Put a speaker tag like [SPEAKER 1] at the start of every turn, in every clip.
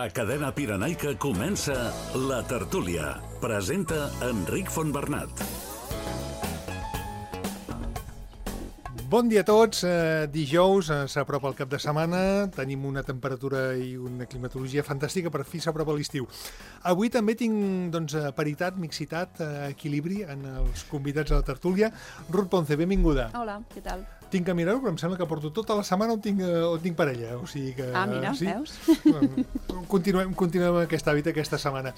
[SPEAKER 1] A Cadena Pirenaica comença La Tertúlia. Presenta Enric Fontbernat.
[SPEAKER 2] Bon dia a tots. Dijous s'apropa el cap de setmana, tenim una temperatura i una climatologia fantàstica, per fi s'apropa l'estiu. Avui també tinc paritat, mixitat, equilibri en els convidats a la tertúlia. Ruth Ponce, benvinguda.
[SPEAKER 3] Hola, què tal?
[SPEAKER 2] Tinc que mirar-ho, però em sembla que porto tota la setmana on tinc parella. O sigui que,
[SPEAKER 3] mira,
[SPEAKER 2] sí?
[SPEAKER 3] Veus?
[SPEAKER 2] Continuem amb aquest hàbit aquesta setmana.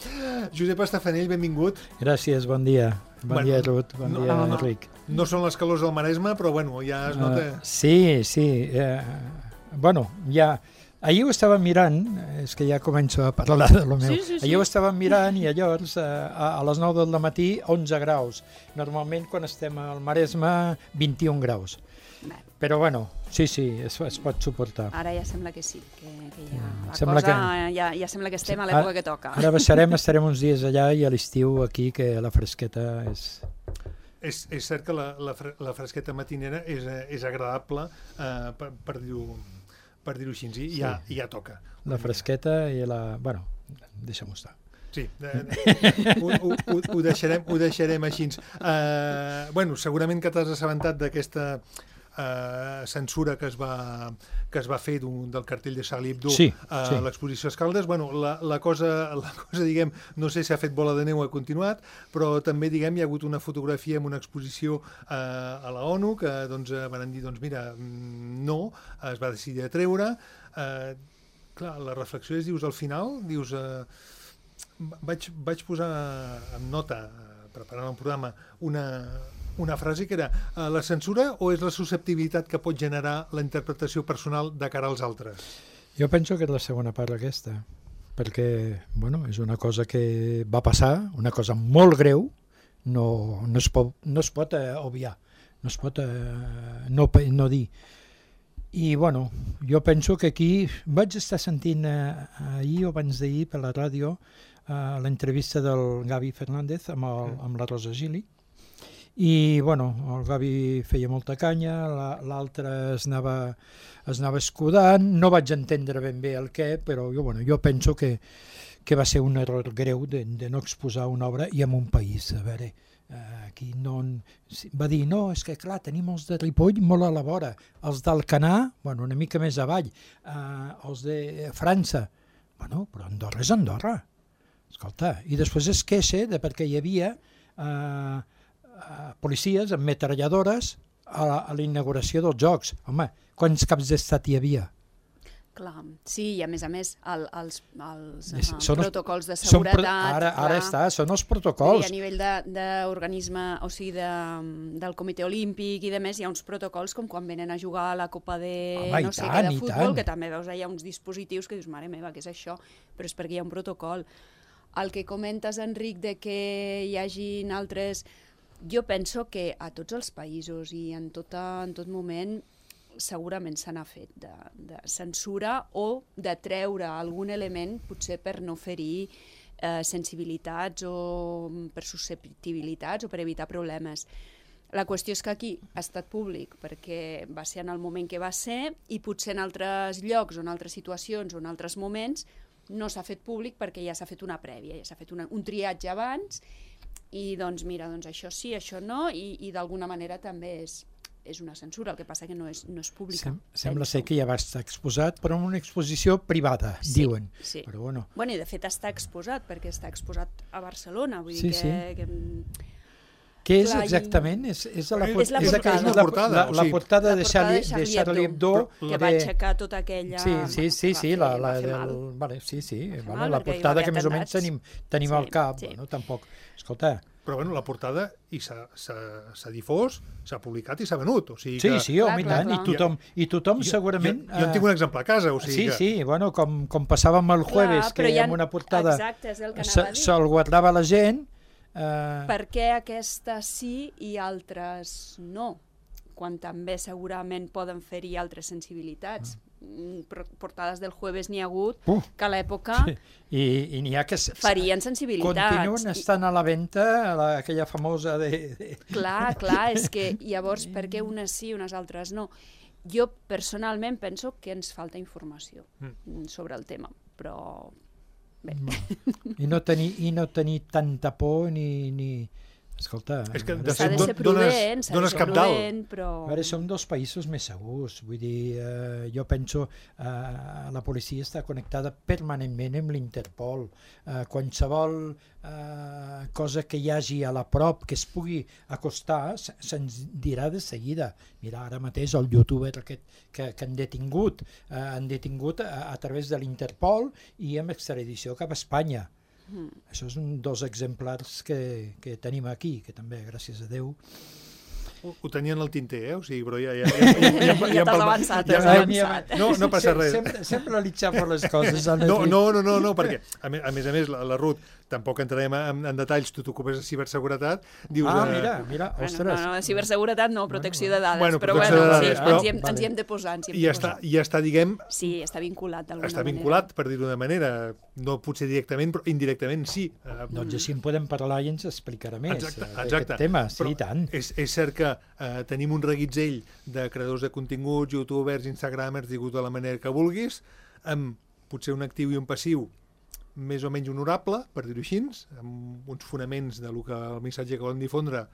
[SPEAKER 2] Josep Estafanell, benvingut.
[SPEAKER 4] Gràcies, bon dia. Bon dia, Ruth. Bon dia, Enric.
[SPEAKER 2] No són les calors del Maresme, però ja es nota...
[SPEAKER 4] Sí. Ja... Ahir ho estava mirant, és que ja començo a parlar de lo meu. Sí. Ahir ho estava mirant i llavors a les 9 del matí 11 graus. Normalment quan estem al Maresme 21 graus. Però sí, es pot suportar.
[SPEAKER 3] Ara ja sembla que sí, que ja
[SPEAKER 4] sembla
[SPEAKER 3] ja sembla que estem a l'època que toca.
[SPEAKER 4] Ara estarem uns dies allà i a l'estiu aquí, que la fresqueta és...
[SPEAKER 2] És cert que la fresqueta matinera és agradable, per dir-ho així, i ja toca.
[SPEAKER 4] La fresqueta i la... deixem-ho estar.
[SPEAKER 2] Sí, ho deixarem així. Segurament que t'has assabentat d'aquesta censura que es va fer del cartell de Charlie Hebdo a l'exposició Escaldes. La cosa, diguem, no sé si ha fet bola de neu o ha continuat, però també, diguem, hi ha hagut una fotografia amb una exposició a la ONU que van dir, mira, no, es va decidir a treure. Clar, la reflexió és, al final, vaig posar en nota, preparant el programa, una frase que era la censura o és la susceptibilitat que pot generar la interpretació personal de cara als altres?
[SPEAKER 4] Jo penso que és la segona part aquesta, perquè és una cosa que va passar, una cosa molt greu, no es pot obviar, no es pot no dir. I jo penso que aquí vaig estar sentint ahir o abans d'ahir per la ràdio l'entrevista del Gavi Fernández amb la Rosa Gili. I el Gavi feia molta canya, l'altre es anava escudant, no vaig entendre ben bé el què, però jo penso que va ser un error greu de no exposar una obra i en un país. A veure, aquí va dir, no, és que clar, tenim els de Ripoll molt a la vora, els d'Alcanar, una mica més avall, els de França, però Andorra és Andorra, escolta, i després es queixa de perquè hi havia policies amb metralladores a la inauguració dels Jocs. Home, quants caps d'estat hi havia?
[SPEAKER 3] Clar, sí, i a més, els protocols de seguretat...
[SPEAKER 4] Ara són els protocols.
[SPEAKER 3] I a nivell d'organisme, o sigui, del Comitè Olímpic i de més, hi ha uns protocols com quan venen a jugar a la Copa de futbol, que també veus, hi ha uns dispositius que dius, mare meva, què és això? Però és perquè hi ha un protocol. El que comentes, Enric, de que hi hagin altres... Jo penso que a tots els països i en tot moment segurament se n'ha fet de censura o de treure algun element potser per no ferir sensibilitats o per susceptibilitats o per evitar problemes. La qüestió és que aquí ha estat públic perquè va ser en el moment que va ser i potser en altres llocs o en altres situacions o en altres moments no s'ha fet públic perquè ja s'ha fet una prèvia, ja s'ha fet un triatge abans i mira, això sí, això no, i d'alguna manera també és una censura, el que passa que no és pública.
[SPEAKER 4] Sembla ser que ja va estar exposat, però en una exposició privada, diuen.
[SPEAKER 3] Sí.
[SPEAKER 4] Però
[SPEAKER 3] i de fet està exposat, perquè està exposat a Barcelona, vull dir que...
[SPEAKER 4] Què és exactament? És la portada de Charlie Hebdo.
[SPEAKER 3] Que va aixecar tota aquella...
[SPEAKER 4] Sí, la portada que més o menys tenim al cap. Tampoc, escolta...
[SPEAKER 2] Però la portada s'ha difós, s'ha publicat i s'ha venut. Sí,
[SPEAKER 4] home, i tant, i tothom segurament...
[SPEAKER 2] Jo en tinc un exemple a casa, o sigui que...
[SPEAKER 4] Sí, com passàvem el jueves, que amb una portada se'l guardava la gent...
[SPEAKER 3] Per què aquesta sí i altres no? Quan també segurament poden fer-hi altres sensibilitats. Portades del jueves n'hi ha hagut que a l'època
[SPEAKER 4] i n'hi ha que
[SPEAKER 3] farien sensibilitats.
[SPEAKER 4] Continuen estant a la venda, aquella famosa de...
[SPEAKER 3] Clar, és que llavors per què unes sí i unes altres no? Jo personalment penso que ens falta informació sobre el tema, però bé.
[SPEAKER 4] I no tenir tanta por ni... Escolta...
[SPEAKER 2] És que
[SPEAKER 3] s'ha de ser prudent, però...
[SPEAKER 4] Ara som dels països més segurs, vull dir, jo penso la policia està connectada permanentment amb l'Interpol, qualsevol cosa que hi hagi a la prop que es pugui acostar se'ns dirà de seguida. Mira, ara mateix el youtuber aquest que han detingut a través de l'Interpol i amb extradició cap a Espanya. Això és un dels exemplars que tenim aquí, que també, gràcies a Déu...
[SPEAKER 2] Ho tenien al tinter, o sigui, però ja
[SPEAKER 3] t'has avançat.
[SPEAKER 2] No passa res.
[SPEAKER 4] Sempre li xafo les coses.
[SPEAKER 2] No, perquè, a més, la Ruth, tampoc entrarem en detalls, tu t'ocupes de ciberseguretat, dius...
[SPEAKER 4] Mira, ostres.
[SPEAKER 3] No, ciberseguretat no, protecció de dades, però ens hi hem de posar.
[SPEAKER 2] I està, diguem...
[SPEAKER 3] Sí, està vinculat d'alguna manera.
[SPEAKER 2] Està vinculat, per dir-ho d'una manera, no potser directament, però indirectament sí.
[SPEAKER 4] Doncs així en podem parlar i ens explicarà més
[SPEAKER 2] aquest
[SPEAKER 4] tema, sí, i tant.
[SPEAKER 2] És cert que tenim un reguitzell de creadors de continguts, youtubers, instagramers, digue-ho de la manera que vulguis, amb potser un actiu i un passiu més o menys honorable, per dir-ho així, amb uns fonaments del que el missatge que volen difondre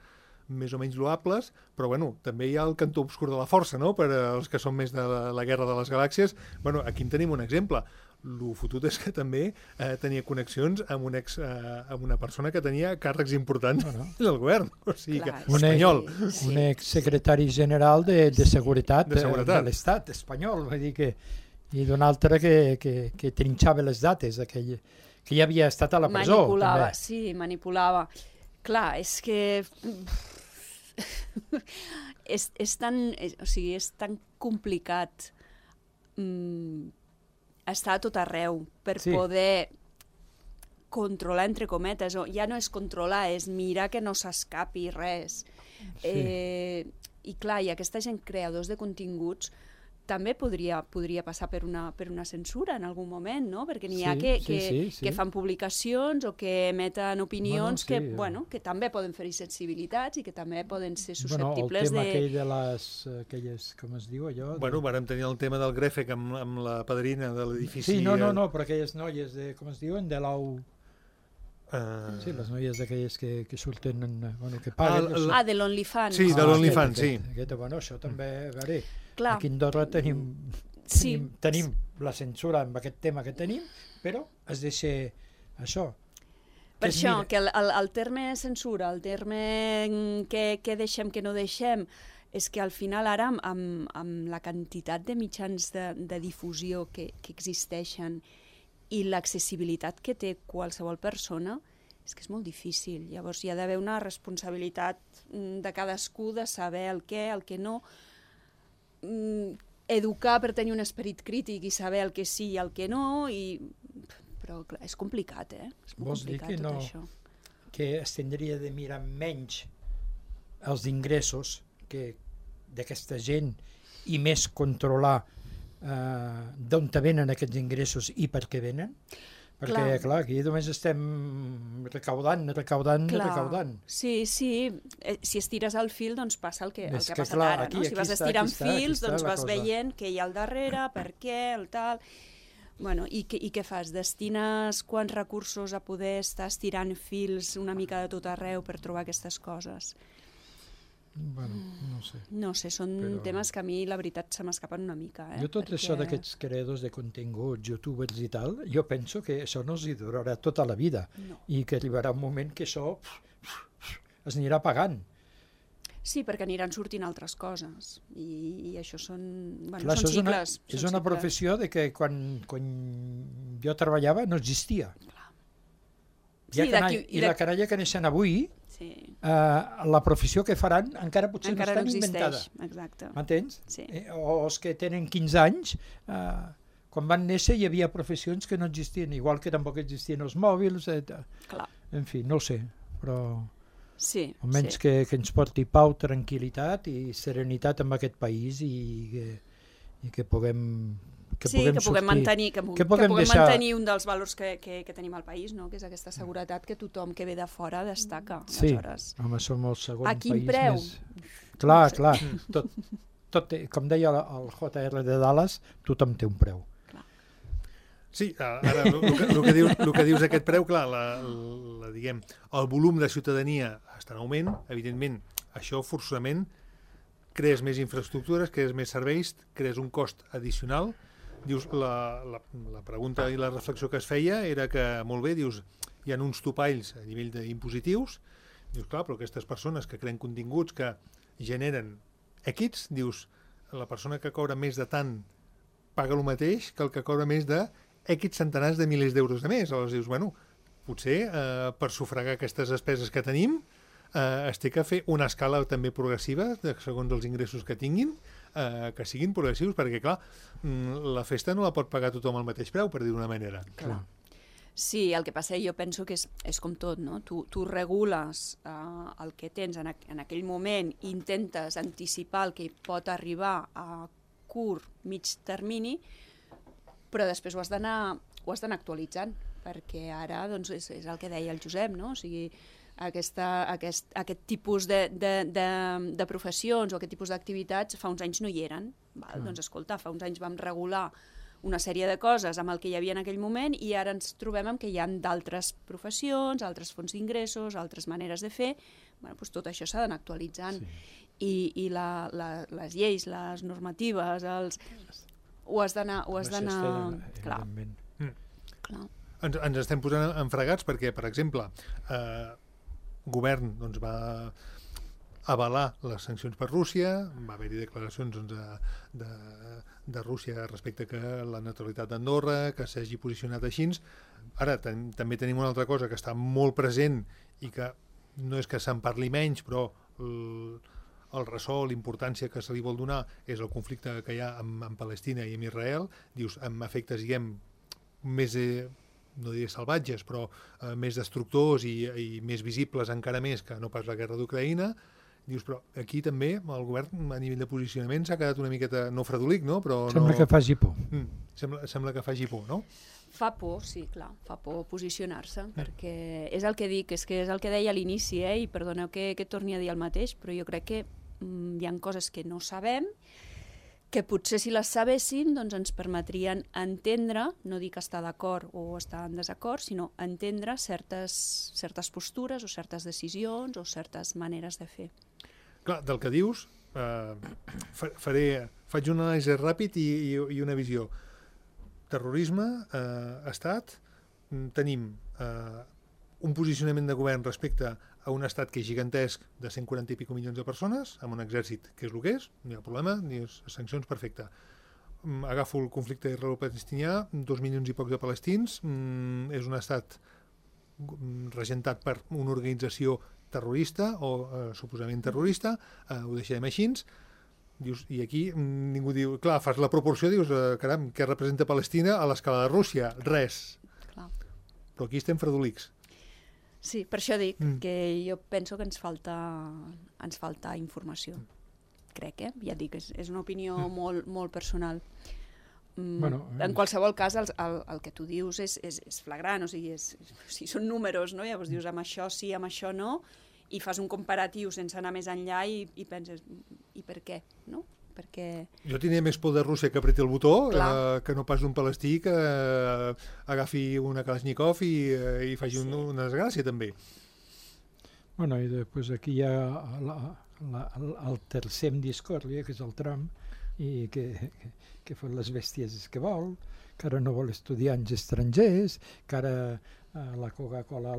[SPEAKER 2] més o menys loables, però bueno, també hi ha el cantó obscur de la força, no?, per als que són més de la guerra de les galàxies. Bueno, aquí en tenim un exemple. El fotut és que també tenia connexions amb una persona que tenia càrrecs importants del govern, o sigui que espanyol.
[SPEAKER 4] Un exsecretari general de seguretat de l'Estat espanyol, vull dir que i d'un altre que trinxava les dates, que ja havia estat a la presó.
[SPEAKER 3] Manipulava. Clar, és que és tan complicat estar a tot arreu per poder controlar, entre cometes, o ja no és controlar, és mirar que no s'escapi res. I clar, i aquesta gent, creadors de continguts, també podria passar per una censura en algun moment, no? Perquè n'hi ha que fan publicacions o que emeten opinions que també poden fer sensibilitats i que també poden ser susceptibles
[SPEAKER 4] el tema aquell de aquelles, com es diu allò?
[SPEAKER 2] Bueno, vàrem tenir el tema del Grefec amb la padrina de l'edifici...
[SPEAKER 4] Sí, no, però aquelles noies, com es diuen, de l'AU... Sí, les noies d'aquelles que surten, que paguen...
[SPEAKER 3] de l'OnlyFans.
[SPEAKER 2] Sí, de l'OnlyFans, sí.
[SPEAKER 4] Això també, a veure...
[SPEAKER 3] Clar.
[SPEAKER 4] Aquí a Andorra tenim la censura amb aquest tema que tenim, però es deixa això.
[SPEAKER 3] Per això, que el terme censura, el terme que deixem, que no deixem, és que al final ara amb la quantitat de mitjans de difusió que existeixen i l'accessibilitat que té qualsevol persona, és que és molt difícil. Llavors hi ha d'haver una responsabilitat de cadascú de saber el que no, educar per tenir un esperit crític i saber el que sí i el que no, però clar, és complicat, És molt complicat tot això.
[SPEAKER 4] Que es tindria de mirar menys els ingressos d'aquesta gent i més controlar d'on venen aquests ingressos i per què venen? Perquè, clar, aquí només estem recaudant.
[SPEAKER 3] Sí, si estires el fil, doncs passa el que ha passat ara, no? Si vas estirant fils, doncs vas veient què hi ha al darrere, per què, el tal... Bueno, i què fas? Destines quants recursos a poder estar estirant fils una mica de tot arreu per trobar aquestes coses?
[SPEAKER 4] Bueno, no sé.
[SPEAKER 3] No sé, són temes que a mi la veritat se m'escapen una mica.
[SPEAKER 4] Jo això d'aquests creadors de continguts, youtubers i tal, jo penso que això no els hi durarà tota la vida i que arribarà un moment que això es anirà pagant.
[SPEAKER 3] Sí, perquè aniran sortint altres coses i això són
[SPEAKER 4] cicles. És una professió de que quan jo treballava no existia. I la canalla que neixen avui, la professió que faran encara potser no està inventada.
[SPEAKER 3] Exacte.
[SPEAKER 4] M'entens? O els que tenen 15 anys, quan van néixer hi havia professions que no existien, igual que tampoc existien els mòbils. En fi, no ho sé, però almenys que ens porti pau, tranquil·litat i serenitat en aquest país i que puguem
[SPEAKER 3] mantenir un dels valors que tenim al país, no? Que és aquesta seguretat que tothom que ve de fora destaca.
[SPEAKER 4] Sí, home, som el segon país més...
[SPEAKER 3] A quin preu?
[SPEAKER 4] Clar, tot, com deia el JR de Dallas, tothom té un preu.
[SPEAKER 2] Sí, ara el que dius d'aquest preu, clar, diguem, el volum de ciutadania està en augment, evidentment, això forçosament crees més infraestructures, crees més serveis, crees un cost addicional. Dius, la pregunta i la reflexió que es feia era que, molt bé, dius, hi ha uns topalls a nivell d'impositius, dius, clar, però aquestes persones que creen continguts que generen èquits, dius, la persona que cobra més de tant paga el mateix que el que cobra més de èquits centenars de milers d'euros de més. Aleshores dius, bueno, potser per sufragar aquestes despeses que tenim es té que fer una escala també progressiva segons els ingressos que tinguin, que siguin progressius, perquè clar, la festa no la pot pagar tothom al mateix preu, per dir d'una manera.
[SPEAKER 3] Clar. Sí, el que passa jo penso que és com tot, no? Tu regules el que tens en aquell moment i intentes anticipar el que pot arribar a curt, mig termini, però després ho has d'anar actualitzant, perquè ara doncs, és el que deia el Josep, no? O sigui, aquest tipus de professions o aquest tipus d'activitats fa uns anys no hi eren. Val? Doncs escolta, fa uns anys vam regular una sèrie de coses amb el que hi havia en aquell moment i ara ens trobem amb que hi ha d'altres professions, altres fonts d'ingressos, altres maneres de fer. Bueno, doncs tot això s'ha d'anar actualitzant. Sí. I les lleis, les normatives, ho has d'anar... Clar. Clar.
[SPEAKER 2] Ens estem posant enfregats perquè, per exemple, govern doncs, va avalar les sancions per Rússia, va haver-hi declaracions de Rússia respecte que la neutralitat d'Andorra, que s'hagi posicionat així. Ara també tenim una altra cosa que està molt present i que no és que se'n parli menys, però el ressò, l'importància que se li vol donar és el conflicte que hi ha amb Palestina i amb Israel, dius, amb efectes, diguem, més, no diré salvatges, però més destructors i més visibles encara més que no pas la guerra d'Ucraïna. Dius, però aquí també el govern a nivell de posicionament s'ha quedat una miqueta, no fredolic, no? Però
[SPEAKER 4] sembla que faci por.
[SPEAKER 2] Sembla que faci por, no?
[SPEAKER 3] Fa por, sí, clar, fa por posicionar-se, perquè és el que dic, és el que deia a l'inici, i perdoneu que torni a dir el mateix, però jo crec que hi ha coses que no sabem, que potser si les sabessin doncs ens permetrien entendre, no dic estar d'acord o estar en desacord, sinó entendre certes postures o certes decisions o certes maneres de fer.
[SPEAKER 2] Clar, del que dius, faig una anàlisi ràpid i una visió. Terrorisme, estat, tenim un posicionament de govern respecte a un estat que és gigantesc de 140 i pico milions de persones, amb un exèrcit que és el que és, no hi ha problema, ni sancions, perfecte. Agafo el conflicte israelo-palestinià, 2 milions i pocs de palestins, és un estat regentat per una organització terrorista o suposadament terrorista, ho deixarem així. Dius, i aquí ningú diu, clar, fas la proporció, dius, caram, què representa Palestina a l'escala de Rússia? Res. Clar. Però aquí estem fredolics.
[SPEAKER 3] Sí, per això dic que jo penso que ens falta informació. Crec, Ja dic, és una opinió molt personal. Bueno, en qualsevol cas, el que tu dius és flagrant, o sigui, són números, no? Llavors dius, amb això sí, amb això no, i fas un comparatiu sense anar més enllà i penses, i per què, no? Perquè...
[SPEAKER 2] Jo tenia més por de Rússia que apreti el botó que no pas d'un palestí que agafi una Kalashnikov i faci una desgràcia, també.
[SPEAKER 4] Bueno, i després aquí hi ha el tercer en discòrdia, que és el Trump, i que fa les bèsties que vol, que ara no vol estudiants estrangers, que ara la Coca-Cola,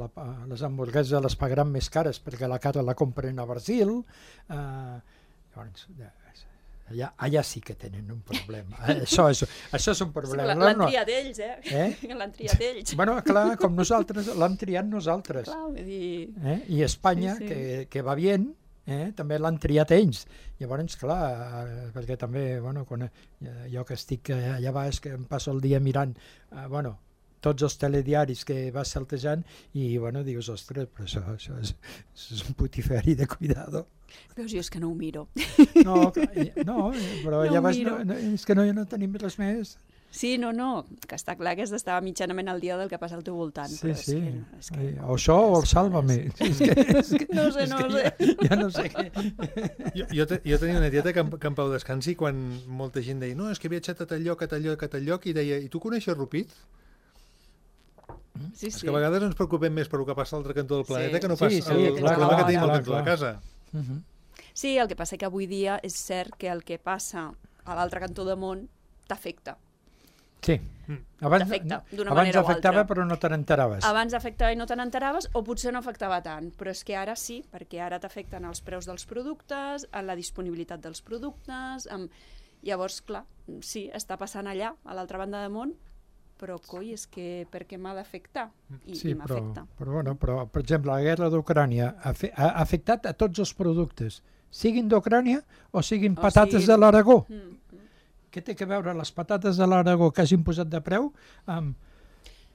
[SPEAKER 4] les hamburgueses les pagaran més cares perquè la cara la compren a Brasil. Llavors, allà sí que tenen un problema. Això és un problema.
[SPEAKER 3] L'han triat ells, L'han triat ells.
[SPEAKER 4] Bueno, clar, com nosaltres, l'han triat nosaltres.
[SPEAKER 3] Clar, vull dir...
[SPEAKER 4] I Espanya, que va bé, també l'han triat ells. Llavors, clar, perquè també, bueno, quan jo que estic allà baix, que em passo el dia mirant, tots els telediaris que vas saltejant i, bueno, dius, ostres, però això és un putiferi de cuidado.
[SPEAKER 3] Veus, jo és que no ho miro.
[SPEAKER 4] No, però no ja vas... és que no tenim res més.
[SPEAKER 3] Sí, no, que està clar que has d'estar mitjanament al dia del que passa al teu voltant.
[SPEAKER 4] Sí, sí.
[SPEAKER 3] És que
[SPEAKER 4] O això o el Sálvame.
[SPEAKER 3] No ho sé.
[SPEAKER 4] Ja no sé què.
[SPEAKER 2] Jo tenia una tieta que en Pau Descansi, quan molta gent deia no, és que he viatjat a tal lloc, i deia, i tu coneixes Rupit?
[SPEAKER 3] Sí,
[SPEAKER 2] És que a vegades ens preocupem més per el que passa a l'altre cantó del planeta que no pas
[SPEAKER 4] el
[SPEAKER 2] problema que tenim al cantó de casa.
[SPEAKER 3] Sí, el que passa que avui dia és cert que el que passa a l'altre cantó del món t'afecta.
[SPEAKER 4] Sí. Abans afectava però no te n'enteraves.
[SPEAKER 3] Abans afectava i no te n'enteraves, o potser no afectava tant, però és que ara sí, perquè ara t'afecten els preus dels productes, la disponibilitat dels productes, llavors, clar, sí, està passant allà, a l'altra banda del món, però coi, és que per què m'ha d'afectar? I m'afecta.
[SPEAKER 4] Però, per exemple, la guerra d'Ucrània ha afectat a tots els productes, siguin d'Ucrània o siguin patates de l'Aragó. Què té que veure les patates de l'Aragó que hagin posat de preu amb...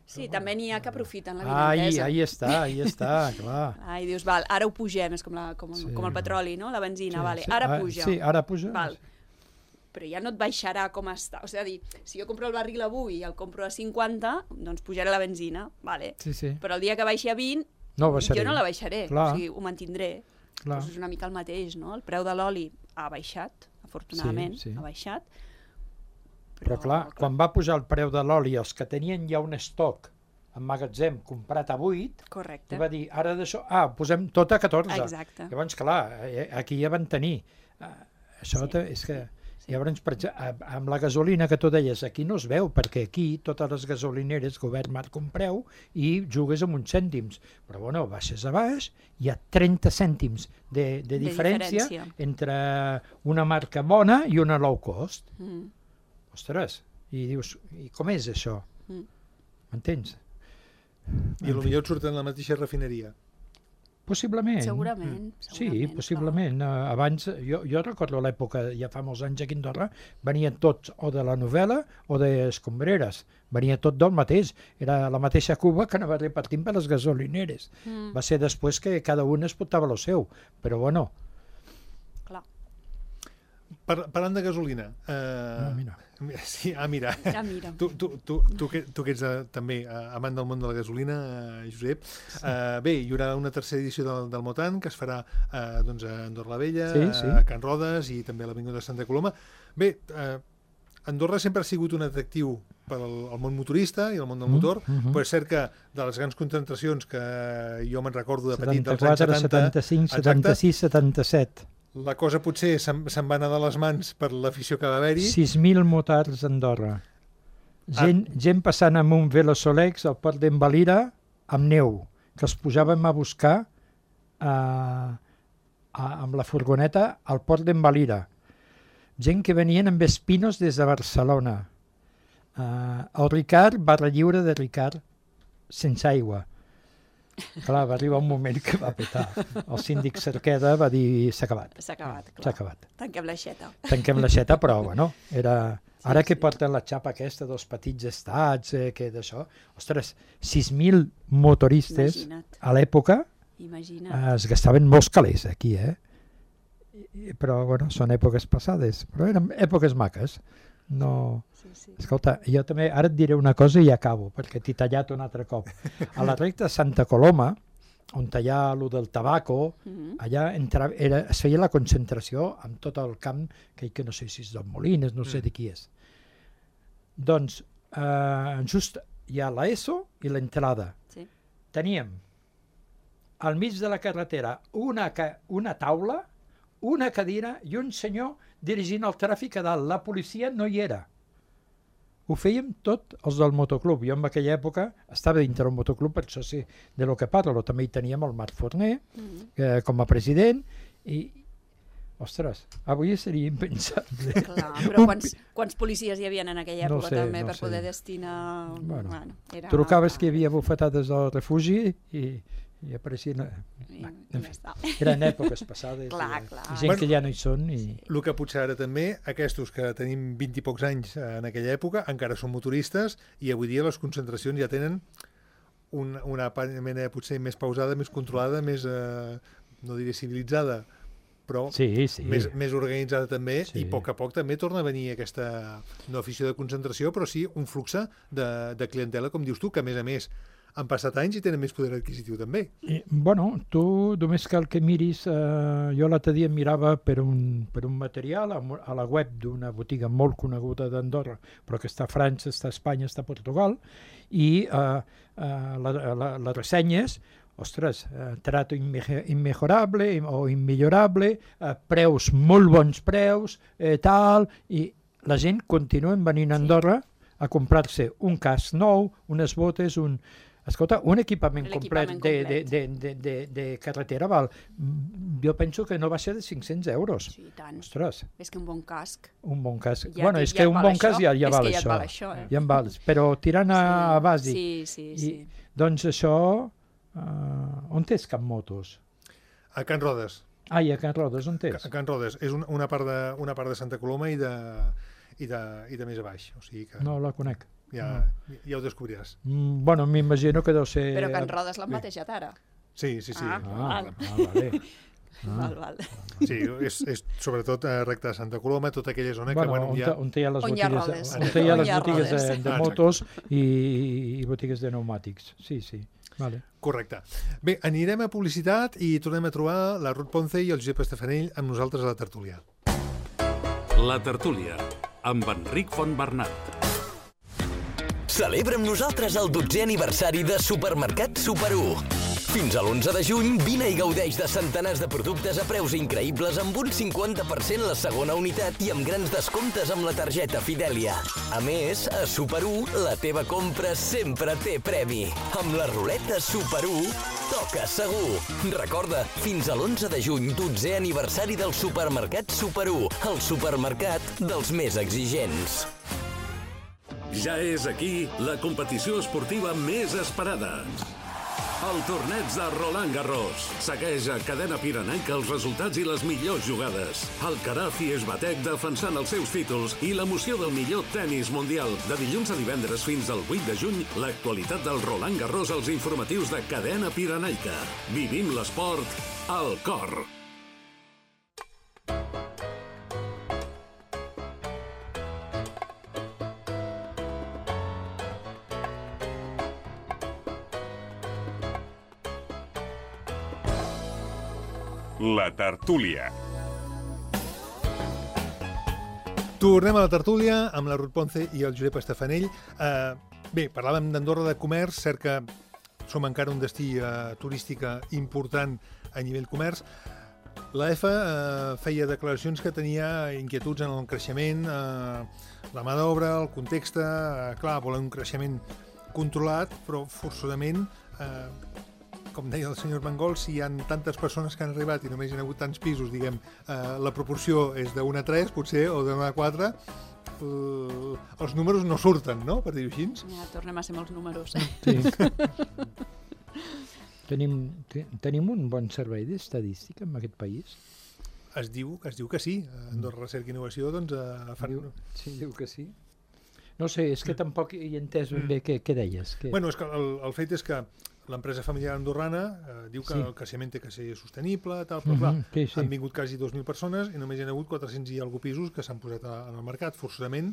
[SPEAKER 3] Sí, també n'hi ha que aprofiten la vinentesa.
[SPEAKER 4] Ahí està, clar.
[SPEAKER 3] I dius, val, ara ho pugem, és com el petroli, no? La benzina, vale, ara puja.
[SPEAKER 4] Sí, ara puja.
[SPEAKER 3] Val. Però ja no et baixarà com està. O sigui, si jo compro el barril avui i el compro a 50, doncs pujarà la benzina, vale.
[SPEAKER 4] Sí.
[SPEAKER 3] Però el dia que baixi a 20, jo no la baixaré, o sigui, ho mantindré. Doncs és una mica el mateix, no? El preu de l'oli ha baixat, afortunadament, ha baixat.
[SPEAKER 4] Però clar, quan va pujar el preu de l'oli, els que tenien ja un estoc en magatzem comprat a 8, va dir, ara d'això, posem tot a 14.
[SPEAKER 3] Exacte.
[SPEAKER 4] Llavors, clar, aquí ja van tenir. Això és que... Llavors, amb la gasolina que tu deies, aquí no es veu, perquè aquí totes les gasolineres, govern marca un preu i jugues amb uns cèntims. Però bueno, baixes a baix, hi ha 30 cèntims de diferència entre una marca bona i una low cost. Ostres, i dius, i com és això? M'entens?
[SPEAKER 2] I potser et surten la mateixa refineria.
[SPEAKER 4] Possiblement.
[SPEAKER 3] Segurament.
[SPEAKER 4] Sí, possiblement. Abans, jo recordo l'època, ja fa molts anys aquí a Andorra, venien tots o de la novel·la o d'escombreres. Venia tot del mateix. Era la mateixa cuba que anava repartint per les gasolineres. Va ser després que cada un es portava el seu. Però bueno...
[SPEAKER 3] Clar.
[SPEAKER 2] Parlant de gasolina...
[SPEAKER 4] Mira.
[SPEAKER 2] Sí, mira. Tu que ets també amant del món de la gasolina, Josep. Bé, hi haurà una tercera edició del Motan que es farà a Andorra la Vella, a Can Rodes i també a l'Avinguda de Santa Coloma. Bé, Andorra sempre ha sigut un atractiu per al món motorista i al món del motor, però és cert que de les grans concentracions que jo me'n recordo de petit dels anys 70...
[SPEAKER 4] 75, 76, 77...
[SPEAKER 2] La cosa potser se'n va anar de les mans per l'afició que va haver-hi.
[SPEAKER 4] 6.000 motards a Andorra. Gent passant amb un Velosolex al port d'Envalira amb neu, que els posàvem a buscar amb la furgoneta al port d'Envalira. Gent que venien amb espinos des de Barcelona. El Ricard, barra lliure de Ricard, sense aigua. Clar, va arribar un moment que va petar. El síndic Cerqueda va dir s'ha acabat.
[SPEAKER 3] S'ha acabat, clar.
[SPEAKER 4] S'ha acabat.
[SPEAKER 3] Tanquem l'aixeta.
[SPEAKER 4] Tanquem l'aixeta, però bueno, era... Ara que porten la xapa aquesta dels petits estats, que d'això... Ostres, 6.000 motoristes a l'època es gastaven molts calés aquí, Però, bueno, són èpoques passades. Però eren èpoques maques. No... Escolta, jo també ara et diré una cosa i acabo, perquè t'he tallat un altre cop. A la recta de Santa Coloma, on hi ha allò del tabaco, allà es feia la concentració amb tot el camp, que no sé si és d'en Molines, no sé de qui és. Doncs, just hi ha l'ESO i l'entrada. Teníem al mig de la carretera una taula, una cadira i un senyor dirigint el tràfic a dalt. La policia no hi era. Ho fèiem tot els del motoclub. Jo en aquella època estava dintre del motoclub, per això sé de lo que parlo. També hi teníem el Marc Forner com a president i, ostres, avui seria impensable.
[SPEAKER 3] Clar, però quants policies hi havia en aquella època també per poder destinar...
[SPEAKER 4] Bueno, trucaves que hi havia bufetades al refugi i apareixien... Eren èpoques passades i gent que ja no hi són.
[SPEAKER 2] El que potser ara també, aquests que tenim 20 i pocs anys en aquella època, encara són motoristes i avui dia les concentracions ja tenen una mena potser més pausada, més controlada, més, no diré civilitzada, però més organitzada també, i a poc també torna a venir aquesta, no afició de concentració, però sí un flux de clientela, com dius tu, que a més han passat anys i tenen més poder adquisitiu també.
[SPEAKER 4] Bueno, tu només cal que miris, jo l'altre dia mirava per un material a la web d'una botiga molt coneguda d'Andorra, però que està a França, està a Espanya, està a Portugal, i les ressenyes, ostres, trato immejorable o immillorable, preus, molt bons preus, tal, i la gent continua venint a Andorra a comprar-se un casc nou, unes botes, escolta, un equipament complet de carretera val, jo penso que no va ser de 500 euros.
[SPEAKER 3] Sí, tant.
[SPEAKER 4] Ostres.
[SPEAKER 3] És que un bon casc.
[SPEAKER 4] Un bon casc. Bueno, és que un bon casc ja val això. Ja en val. Però tirant a bàsic.
[SPEAKER 3] Sí.
[SPEAKER 4] Doncs això, on és Can Motos?
[SPEAKER 2] A Can Rodes.
[SPEAKER 4] Ai, a Can Rodes, on és?
[SPEAKER 2] A Can Rodes. És una part de Santa Coloma i de més a baix. O sigui que...
[SPEAKER 4] No la conec.
[SPEAKER 2] Ja ho descobriràs.
[SPEAKER 4] Bueno, m'imagino que deu ser...
[SPEAKER 3] Però Can Rodes l'han batejat ara.
[SPEAKER 2] Sí.
[SPEAKER 4] Vale.
[SPEAKER 3] Val.
[SPEAKER 2] Sí, és sobretot recte de Santa Coloma, tota aquella zona que...
[SPEAKER 4] On hi ha les botigues de motos i botigues de pneumàtics. Sí. Vale.
[SPEAKER 2] Correcte. Bé, anirem a publicitat i tornem a trobar la Ruth Ponce i el Josep Estefanell amb nosaltres a la tertúlia.
[SPEAKER 1] La tertúlia, amb Enric Fontbernat.
[SPEAKER 5] Celebra amb nosaltres el 12è aniversari de Supermercat Super 1. Fins a l'11 de juny, vine i gaudeix de centenars de productes a preus increïbles amb un 50% la segona unitat i amb grans descomptes amb la targeta Fidelia. A més, a Super 1, la teva compra sempre té premi. Amb la ruleta Super 1, toca segur. Recorda, fins a l'11 de juny, 12è aniversari del Supermercat Super 1, el supermercat dels més exigents.
[SPEAKER 1] Ja és aquí la competició esportiva més esperada. El torneig de Roland Garros. Segueix a Cadena Pirenaica els resultats i les millors jugades. Alcaraz i Swiatek defensant els seus títols i l'emoció del millor tennis mundial. De dilluns a divendres fins al 8 de juny, l'actualitat del Roland Garros als informatius de Cadena Pirenaica. Vivim l'esport al cor.
[SPEAKER 6] La tertúlia.
[SPEAKER 2] Tornem a la tertúlia amb la Ruth Ponce i el Josep Estefanell. Bé, parlàvem d'Andorra, de comerç, cert que som encara un destí turístic important a nivell comerç. L'EFA feia declaracions que tenia inquietuds en el creixement, la mà d'obra, el context, clar, volen un creixement controlat, però forçosament... com deia el senyor Mangol, si hi ha tantes persones que han arribat i només hi ha hagut tants pisos, diguem, la proporció és de 1 a 3, potser, o de 1 a 4, els números no surten, no?, per dir-ho així.
[SPEAKER 3] Ja, tornem a ser molts números.
[SPEAKER 4] Sí. Tenim un bon servei d'estadística en aquest país?
[SPEAKER 2] Es diu que sí. Andorra Recerca i Innovació, doncs...
[SPEAKER 4] Sí, diu que sí. No sé, és que tampoc hi he entès ben bé què deies.
[SPEAKER 2] Bueno, és que el fet és que l'empresa familiar andorrana diu que el creixement té que ser sostenible, tal, però clar, han vingut quasi 2.000 persones i només hi ha hagut 400 i alguna pisos que s'han posat en el mercat. Forçosament,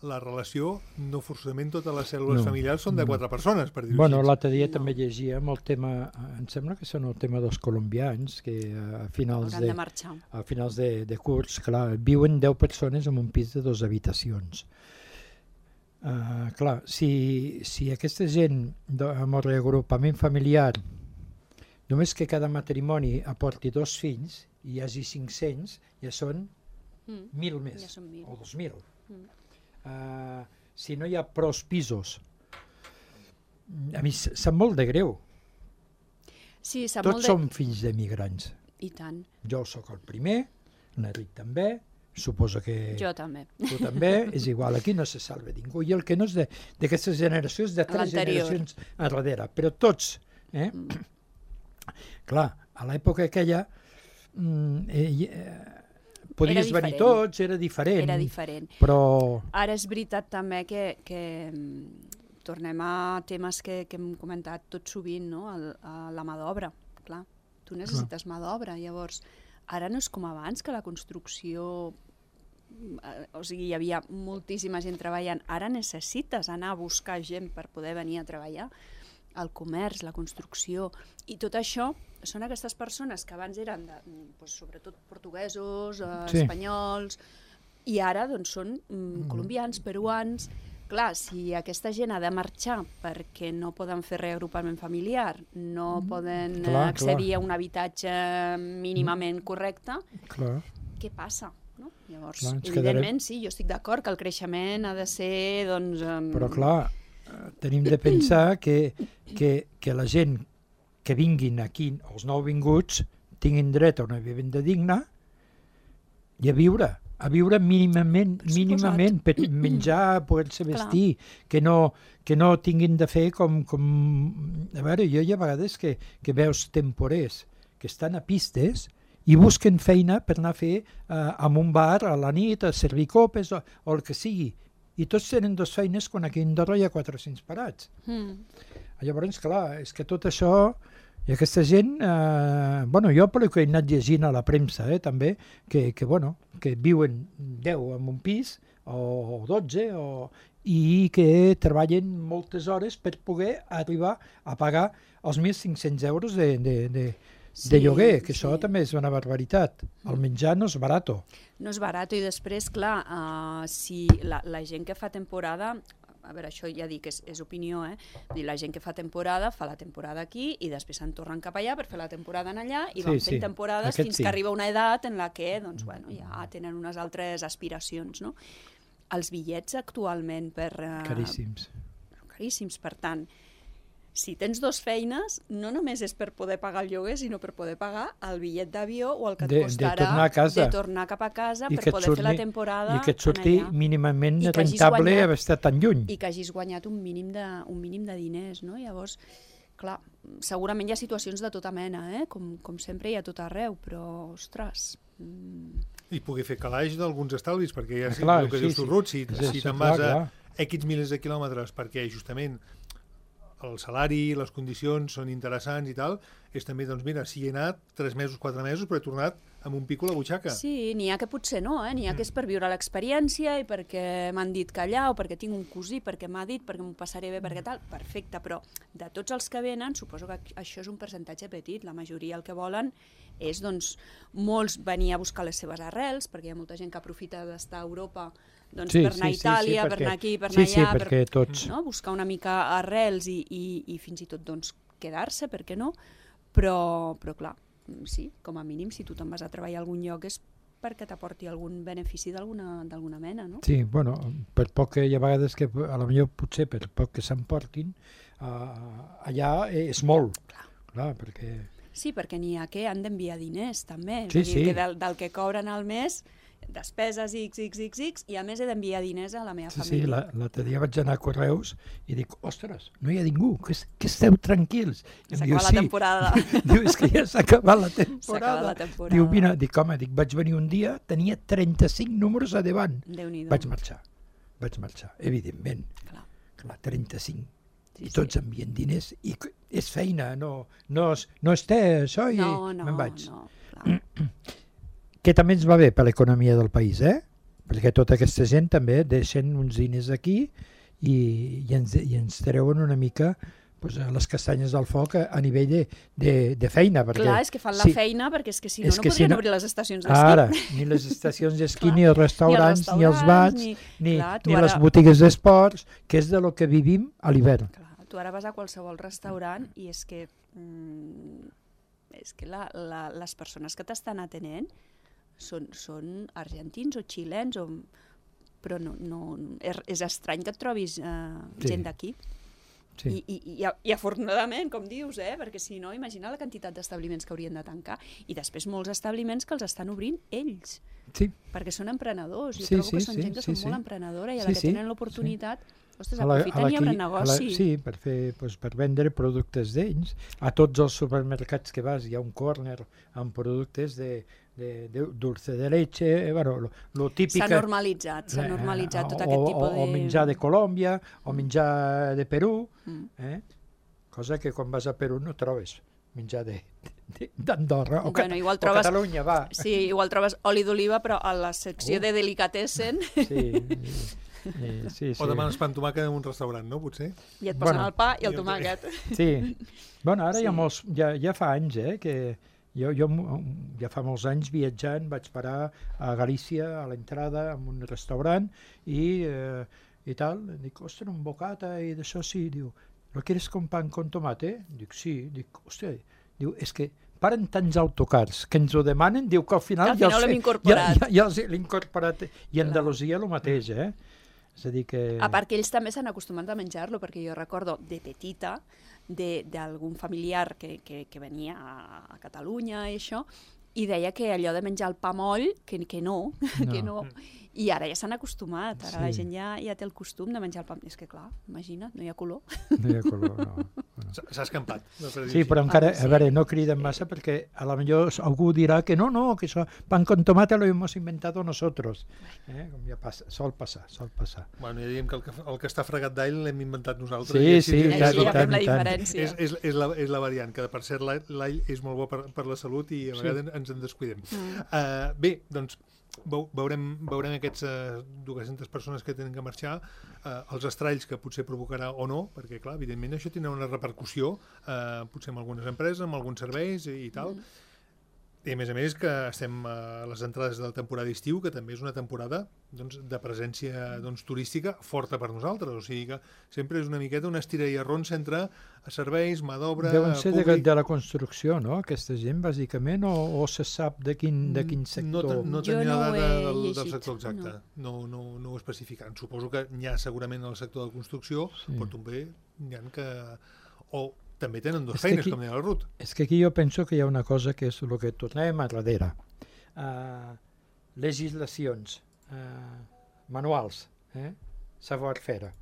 [SPEAKER 2] la relació, no forçosament totes les cèl·lules familiars són de 4 persones, per dir-ho així.
[SPEAKER 4] Bueno, l'altre dia també llegíem el tema, em sembla que són el tema dels colombians, que a finals de curs, clar, viuen 10 persones en un pis de 2 habitacions. Clar, si aquesta gent amb el reagrupament familiar, només que cada matrimoni aporti 2 fills i hi hagi 500, ja són 1.000 més, o 2.000. Si no hi ha prou pisos, a mi sap molt de greu.
[SPEAKER 3] Sí,
[SPEAKER 4] tots som fills d'emigrants.
[SPEAKER 3] I tant.
[SPEAKER 4] Jo sóc el primer, l'Enric també, suposo que...
[SPEAKER 3] Jo també.
[SPEAKER 4] Tu també, és igual, aquí no se salva ningú. I el que no és d'aquestes generacions, de 3 generacions enrere, però tots. Clar, a l'època aquella podies venir tots, era diferent.
[SPEAKER 3] Era diferent.
[SPEAKER 4] Però...
[SPEAKER 3] Ara és veritat també que tornem a temes que hem comentat tot sovint, no? A la mà d'obra, clar. Tu necessites mà d'obra, llavors... Ara no és com abans, que la construcció... O sigui, hi havia moltíssima gent treballant. Ara necessites anar a buscar gent per poder venir a treballar. El comerç, la construcció... I tot això són aquestes persones que abans eren, sobretot portuguesos, espanyols, i ara són colombians, peruans... Clar, si aquesta gent ha de marxar perquè no poden fer reagrupament familiar, no poden accedir a un habitatge mínimament correcte, què passa? No? Llavors, evidentment, sí, jo estic d'acord que el creixement ha de ser...
[SPEAKER 4] Però clar, tenim de pensar que la gent que vinguin aquí, els nouvinguts, tinguin dret a una vivenda digna i a viure mínimament per menjar, poder-se vestir, que no tinguin de fer com... A veure, jo hi ha vegades que veus temporers que estan a pistes i busquen feina per anar a fer en un bar a la nit, a servir copes o el que sigui. I tots tenen dues feines quan aquí a Andorra hi ha 400 parats. Llavors, clar, és que tot això... I aquesta gent, jo pel que he anat llegint a la premsa, també, que viuen 10 en un pis, o 12, i que treballen moltes hores per poder arribar a pagar els 1.500 euros de lloguer, que això també és una barbaritat. El menjar no és barat.
[SPEAKER 3] No és barat, i després, clar, si la gent que fa temporada... A veure, això ja dic, és opinió, la gent que fa temporada la temporada aquí i després se'n tornen cap allà per fer la temporada en allà i van fent temporades fins que arriba una edat en la que ja tenen unes altres aspiracions. No? Els bitllets actualment
[SPEAKER 4] caríssims.
[SPEAKER 3] Caríssims, per tant, si tens dues feines, no només és per poder pagar el lloguer, sinó per poder pagar el bitllet d'avió o el que et costarà de tornar cap a casa per poder fer la temporada.
[SPEAKER 4] I que et surti mínimament rentable haver estat tan lluny.
[SPEAKER 3] I que hagis guanyat un mínim de diners. No? Llavors, clar, segurament hi ha situacions de tota mena, com sempre hi ha tot arreu, però, ostres...
[SPEAKER 2] I poder fer calaix d'alguns estalvis, perquè ja sé el que dius tu, Ruth, si te'n vas a X milers de quilòmetres perquè justament el salari, les condicions són interessants i tal, és també, doncs mira, si he anat 3 mesos, 4 mesos, però he tornat amb un pico a la butxaca.
[SPEAKER 3] Sí, n'hi ha que potser no, n'hi ha que és per viure l'experiència i perquè m'han dit que allà, o perquè tinc un cosí, perquè m'ha dit, perquè m'ho passaré bé, perquè tal, perfecte, però de tots els que venen, suposo que això és un percentatge petit, la majoria el que volen és, doncs, molts venir a buscar les seves arrels, perquè hi ha molta gent que aprofita d'estar a Europa per anar a Itàlia, per anar aquí, per anar allà, buscar una mica arrels i fins i tot quedar-se, per què no? Però clar, sí, com a mínim, si tu te'n vas a treballar a algun lloc és perquè t'aporti algun benefici d'alguna mena, no?
[SPEAKER 4] Sí, bueno, per poc que hi ha vegades que, a la millor potser per poc que s'emportin, allà és molt. Clar, perquè...
[SPEAKER 3] Sí, perquè n'hi ha que han d'enviar diners, també.
[SPEAKER 4] Sí,
[SPEAKER 3] sí. Que del que cobren al mes, despeses X, i a més he d'enviar diners a la meva família.
[SPEAKER 4] Sí, l'altre dia vaig anar a Correus i dic, ostres, no hi ha ningú, que esteu tranquils.
[SPEAKER 3] S'ha acabat la temporada.
[SPEAKER 4] Diu, és que ja s'ha acabat la temporada. Diu, mira, vaig venir un dia, tenia 35 números a davant. Vaig marxar, evidentment. Clar, 35. I tots envien diners i és feina, no és té això i me'n vaig.
[SPEAKER 3] No, clar.
[SPEAKER 4] Que també ens va bé per l'economia del país, perquè tota aquesta gent també deixen uns diners aquí i ens treuen una mica les castanyes del foc a nivell de feina. Perquè,
[SPEAKER 3] clar, és que fan la feina perquè és que si no podrien obrir les estacions d'esquí.
[SPEAKER 4] Ara, ni les estacions d'esquí, ni els restaurants, ni els bars, ni les botigues d'esports, que és de lo que vivim a l'hivern.
[SPEAKER 3] Tu ara vas a qualsevol restaurant i és que les persones que t'estan atenent són argentins o xilens, però és estrany que et trobis gent d'aquí. Sí. I afortunadament, com dius, perquè si no, imagina la quantitat d'establiments que haurien de tancar. I després molts establiments que els estan obrint ells, perquè són emprenedors. Jo trobo que són gent que són molt emprenedora i a la que tenen l'oportunitat, ostres, aprofiten i obren negoci.
[SPEAKER 4] Sí, per vendre productes d'ells. A tots els supermercats que vas hi ha un córner amb productes de dulce de leche, lo típic...
[SPEAKER 3] S'ha normalitzat tot aquest tipus de...
[SPEAKER 4] O menjar de Colòmbia, o menjar de Perú, cosa que quan vas a Perú no trobes. menjar d'Andorra, o Catalunya, va.
[SPEAKER 3] Sí, igual trobes oli d'oliva, però a la secció de delicatessen...
[SPEAKER 2] Sí. O demanes pa amb tomàquet en un restaurant, no, potser?
[SPEAKER 3] I et posen el pa i el tomàquet.
[SPEAKER 4] Sí. Bueno, ara ja fa anys, que jo ja fa molts anys viatjant, vaig parar a Galícia, a l'entrada, en un restaurant, i tal. Dic, ostres, un bocata i d'això, sí. Diu, ¿lo quieres con pan con tomate? Dic, sí. Dic, ostres, diu, és que paren tants autocars que ens ho demanen, diu que al final
[SPEAKER 3] ja l'hem incorporat.
[SPEAKER 4] Ja l'he incorporat. I a Andalusia el mateix, És a dir que...
[SPEAKER 3] A part que ells també s'han acostumat a menjar-lo, perquè jo recordo de petita d'algun familiar que venia a Catalunya i això, i deia que allò de menjar el pa moll, que no. I ara ja s'han acostumat, ara la gent ja té el costum de menjar el pa. És que clar, imagina't, no hi ha color.
[SPEAKER 4] No hi ha color, no.
[SPEAKER 2] S'ha escampat.
[SPEAKER 4] Sí, però encara, a veure, no criden massa perquè a lo millor algú dirà que no, que això, pan con tomate lo hemos inventado nosotros. Com ja passa, sol passar.
[SPEAKER 2] Bueno, ja diem que el que està fregat d'all l'hem inventat nosaltres.
[SPEAKER 4] Sí,
[SPEAKER 3] ja fem la diferència.
[SPEAKER 2] És la variant, que per cert l'all és molt bo per la salut i a vegades ens en descuidem. Bé, doncs, veurem aquests 200 persones que tenen que marxar, els estralls que potser provocarà o no, perquè clar, evidentment això tindrà una repercussió potser en algunes empreses, en alguns serveis i tal. I a més que estem a les entrades de la temporada d'estiu, que també és una temporada de presència turística forta per nosaltres, o sigui que sempre és una miqueta una estira i arronsa entre serveis, mà d'obra,
[SPEAKER 4] deuen ser de la construcció, no?, aquesta gent, bàsicament, o se sap de quin sector?
[SPEAKER 2] No tenim la dada del sector exacte, no ho especificaran. Suposo que n'hi ha segurament en el sector de la construcció, però també n'hi ha que... també tenen dues feines, com deia el Ruth.
[SPEAKER 4] És que aquí jo penso que hi ha una cosa que és el que tornem a darrere. Legislacions, manuals, savoir-faire.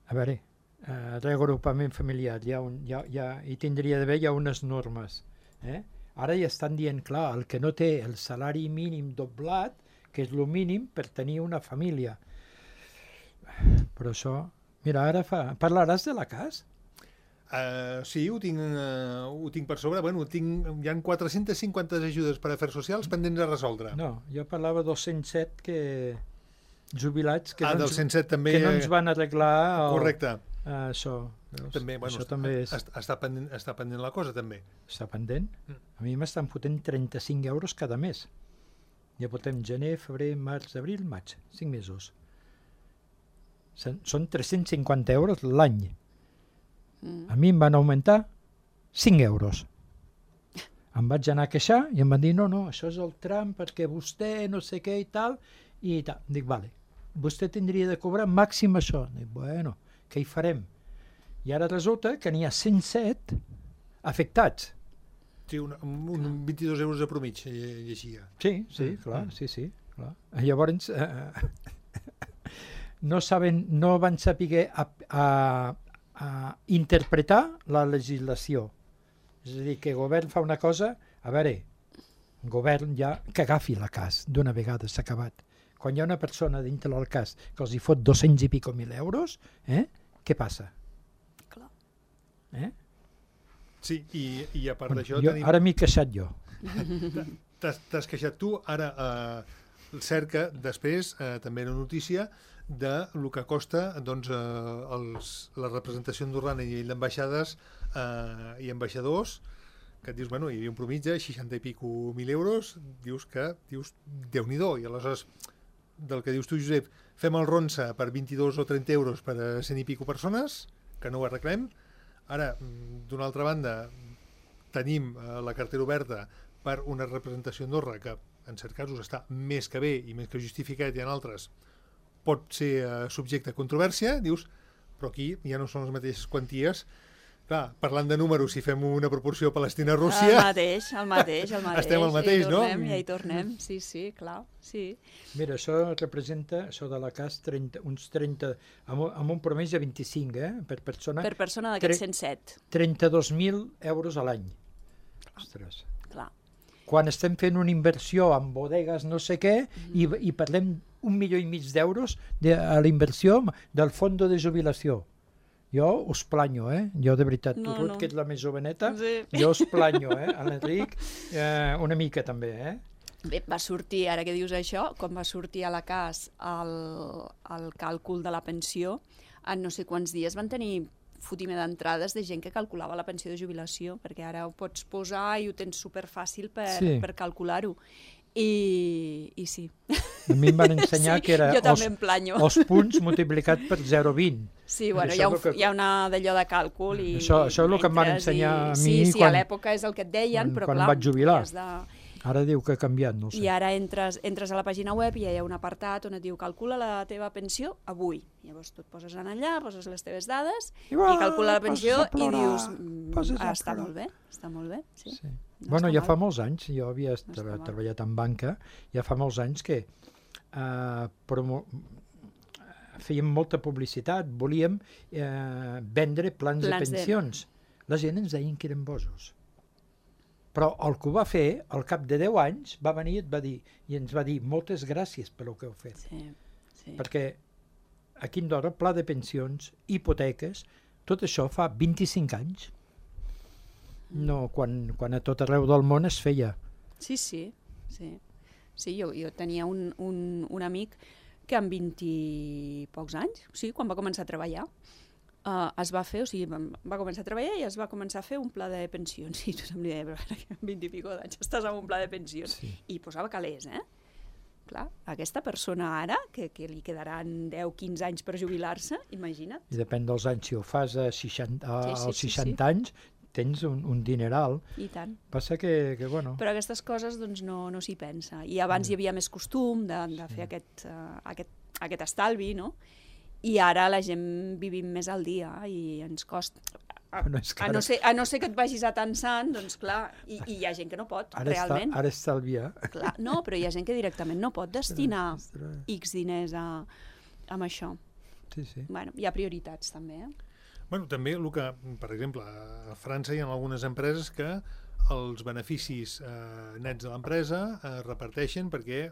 [SPEAKER 4] A veure, reagrupament familiar, hi tindria d'haver unes normes. Ara ja estan dient, clar, el que no té el salari mínim doblat, que és el mínim per tenir una família. Però això... Mira, ara parlaràs de la CAS?
[SPEAKER 2] Sí, ho tinc per sobre. Bueno, hi ha 450 ajudes per afers socials pendents de resoldre.
[SPEAKER 4] No, jo parlava 207 jubilats que
[SPEAKER 2] del 107 també
[SPEAKER 4] no ens van arreglar.
[SPEAKER 2] Correcte.
[SPEAKER 4] Això.
[SPEAKER 2] També, bueno, està pendent la cosa, també.
[SPEAKER 4] Està pendent? A mi m'estan fotent 35 euros cada mes. Ja portem gener, febrer, març, abril, maig. 5 mesos. Són 350 euros l'any. A mi em van augmentar 5 euros. Em vaig anar a queixar i em van dir, no, això és el tram perquè vostè no sé què i tal. Dic, vale, vostè tindria de cobrar màxim això. Dic, bueno, què hi farem? I ara resulta que n'hi ha 107 afectats.
[SPEAKER 2] Sí, un 22 euros de promig, llegia.
[SPEAKER 4] Sí, clar, sí, clar. Llavors, no van saber a interpretar la legislació. És a dir, que el govern fa una cosa, a veure, el govern ja que agafi la CAS d'una vegada, s'ha acabat. Quan hi ha una persona dintre del CAS que els hi fot 200 i pico mil euros, què passa?
[SPEAKER 3] Clar.
[SPEAKER 2] Sí, i a part d'això...
[SPEAKER 4] Ara m'he queixat jo.
[SPEAKER 2] T'has queixat tu, ara cerca després també una notícia de el que costa la representació andorrana i d'ambaixades i ambaixadors, que et dius, bueno, hi havia un promig de 60 i pico mil euros, dius, Déu-n'hi-do, i aleshores, del que dius tu, Josep, fem el ronsa per 22 o 30 euros per a 100 i pico persones, que no ho arreglem. Ara, d'una altra banda, tenim la cartera oberta per una representació a Andorra, que en certs casos està més que bé i més que justificat, i en altres pot ser subjecte a controvèrsia, dius, però aquí ja no són les mateixes quanties. Clar, parlant de números, si fem una proporció Palestina-Rússia...
[SPEAKER 3] El mateix.
[SPEAKER 2] Estem al mateix, no?
[SPEAKER 3] Ja hi tornem, sí, clar, sí.
[SPEAKER 4] Mira, això representa, això de la CAS, uns 30, amb un promès de 25, per persona.
[SPEAKER 3] Per persona d'aquests 107.
[SPEAKER 4] 32.000 euros a l'any. Ostres.
[SPEAKER 3] Clar.
[SPEAKER 4] Quan estem fent una inversió en bodegues no sé què, i parlem 1,5 milió d'euros a la inversió del fons de jubilació. Jo us planyo, Jo de veritat, tu, Ruth, que ets la més joveneta, jo us planyo, A l'Enric una mica també,
[SPEAKER 3] Bé, va sortir, ara que dius això, quan va sortir a la CAS el càlcul de la pensió, en no sé quants dies van tenir fotimer d'entrades de gent que calculava la pensió de jubilació, perquè ara ho pots posar i ho tens superfàcil per calcular-ho. I sí.
[SPEAKER 4] A mi em van ensenyar que era
[SPEAKER 3] els
[SPEAKER 4] punts multiplicat per 0,20.
[SPEAKER 3] Sí, bueno, hi ha una d'allò de càlcul i...
[SPEAKER 4] Això és el que em van ensenyar a mi
[SPEAKER 3] Sí, a l'època és el que et deien, però clar...
[SPEAKER 4] Quan vaig jubilar. Ara diu que ha canviat, no ho sé.
[SPEAKER 3] I ara entres a la pàgina web i hi ha un apartat on et diu calcula la teva pensió avui. Llavors tu et poses allà, poses les teves dades i calcula la pensió i dius està molt bé, sí.
[SPEAKER 4] Bueno, ja fa molts anys, jo havia treballat en banca, ja fa molts anys que fèiem molta publicitat, volíem vendre plans de pensions. La gent ens deien que eren bojos. Però el que ho va fer, al cap de 10 anys, va venir i ens va dir moltes gràcies per el que heu fet.
[SPEAKER 3] Sí.
[SPEAKER 4] Perquè aquí a Andorra, pla de pensions, hipoteques, tot això fa 25 anys. No, quan a tot arreu del món es feia.
[SPEAKER 3] Sí. Sí, jo tenia un amic que amb 20 i pocs anys, quan va començar a treballar, es va fer, va començar a treballar i es va començar a fer un pla de pensions. I tothom li deia, però amb 20 i pico d'anys estàs amb un pla de pensions.
[SPEAKER 4] Sí.
[SPEAKER 3] I posava calés, Clar, aquesta persona ara, que li quedaran 10-15 anys per jubilar-se, imagina't.
[SPEAKER 4] I depèn dels anys, si ho fas als 60 anys, tens un dineral.
[SPEAKER 3] I tant.
[SPEAKER 4] Passa que bueno...
[SPEAKER 3] Però aquestes coses doncs, no s'hi pensa. I abans hi havia més costum de fer aquest estalvi, no? I ara la gent vivim més al dia i ens costa... A no ser que et vagis atansant, doncs clar, i hi ha gent que no pot, realment.
[SPEAKER 4] Ara estalvia.
[SPEAKER 3] Clar, no, però hi ha gent que directament no pot destinar X diners amb això.
[SPEAKER 4] Sí.
[SPEAKER 3] Bueno, hi ha prioritats també,
[SPEAKER 2] Bueno, també el que, per exemple, a França hi ha algunes empreses que els beneficis nets de l'empresa es reparteixen perquè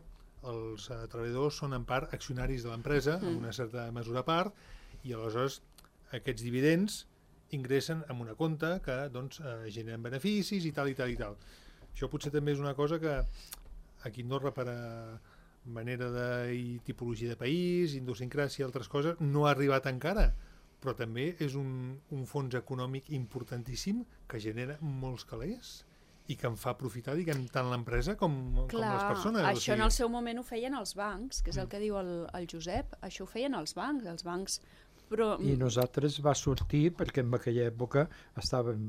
[SPEAKER 2] els treballadors són en part accionaris de l'empresa, en una certa mesura a part, i aleshores aquests dividends ingressen en una compte que doncs, generen beneficis i tal. Això potser també és una cosa que aquí a Andorra, per manera de tipologia de país, idiosincràsia i altres coses, no ha arribat encara, però també és un fons econòmic importantíssim que genera molts calés i que em fa aprofitar, diguem, tant l'empresa com les persones.
[SPEAKER 3] Això en el seu moment ho feien els bancs, que és el que diu el Josep, això ho feien els bancs, però...
[SPEAKER 4] I nosaltres va sortir, perquè en aquella època estàvem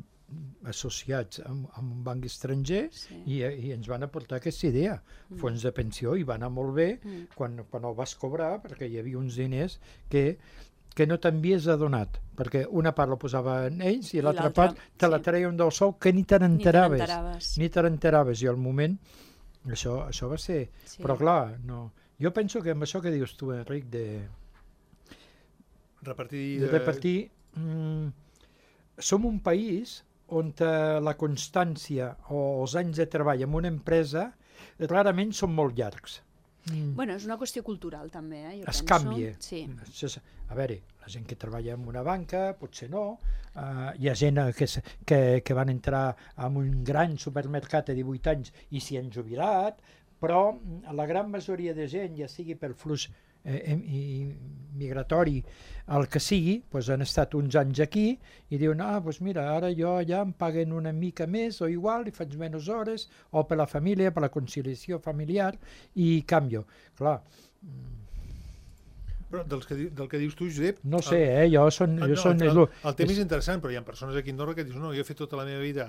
[SPEAKER 4] associats amb un banc estranger i ens van aportar aquesta idea, fons de pensió, i va anar molt bé quan el vas cobrar, perquè hi havia uns diners que no t'havies adonat, perquè una part la posaven ells i l'altra part te la treien del sou que ni te n'enteraves. I al moment això va ser... Però clar, no. Jo penso que amb això que dius tu, Enric, de repartir... Som un país on la constància o els anys de treball en una empresa rarament són molt llargs.
[SPEAKER 3] Bueno, és una qüestió cultural també, jo penso.
[SPEAKER 4] Canvia.
[SPEAKER 3] Sí.
[SPEAKER 4] A veure, la gent que treballa en una banca potser no, hi ha gent que van entrar en un gran supermercat a 18 anys i s'hi han jubilat, però la gran majoria de gent, ja sigui pel flux migratori, el que sigui, doncs han estat uns anys aquí i diuen, doncs mira, ara jo allà em paguen una mica més o igual i faig menys hores, o per la família, per la conciliació familiar, i canvio. Clar.
[SPEAKER 2] Però del que dius tu, Josep...
[SPEAKER 4] No sé, El tema
[SPEAKER 2] és interessant, però hi ha persones aquí a Andorra que diuen, no, jo he fet tota la meva vida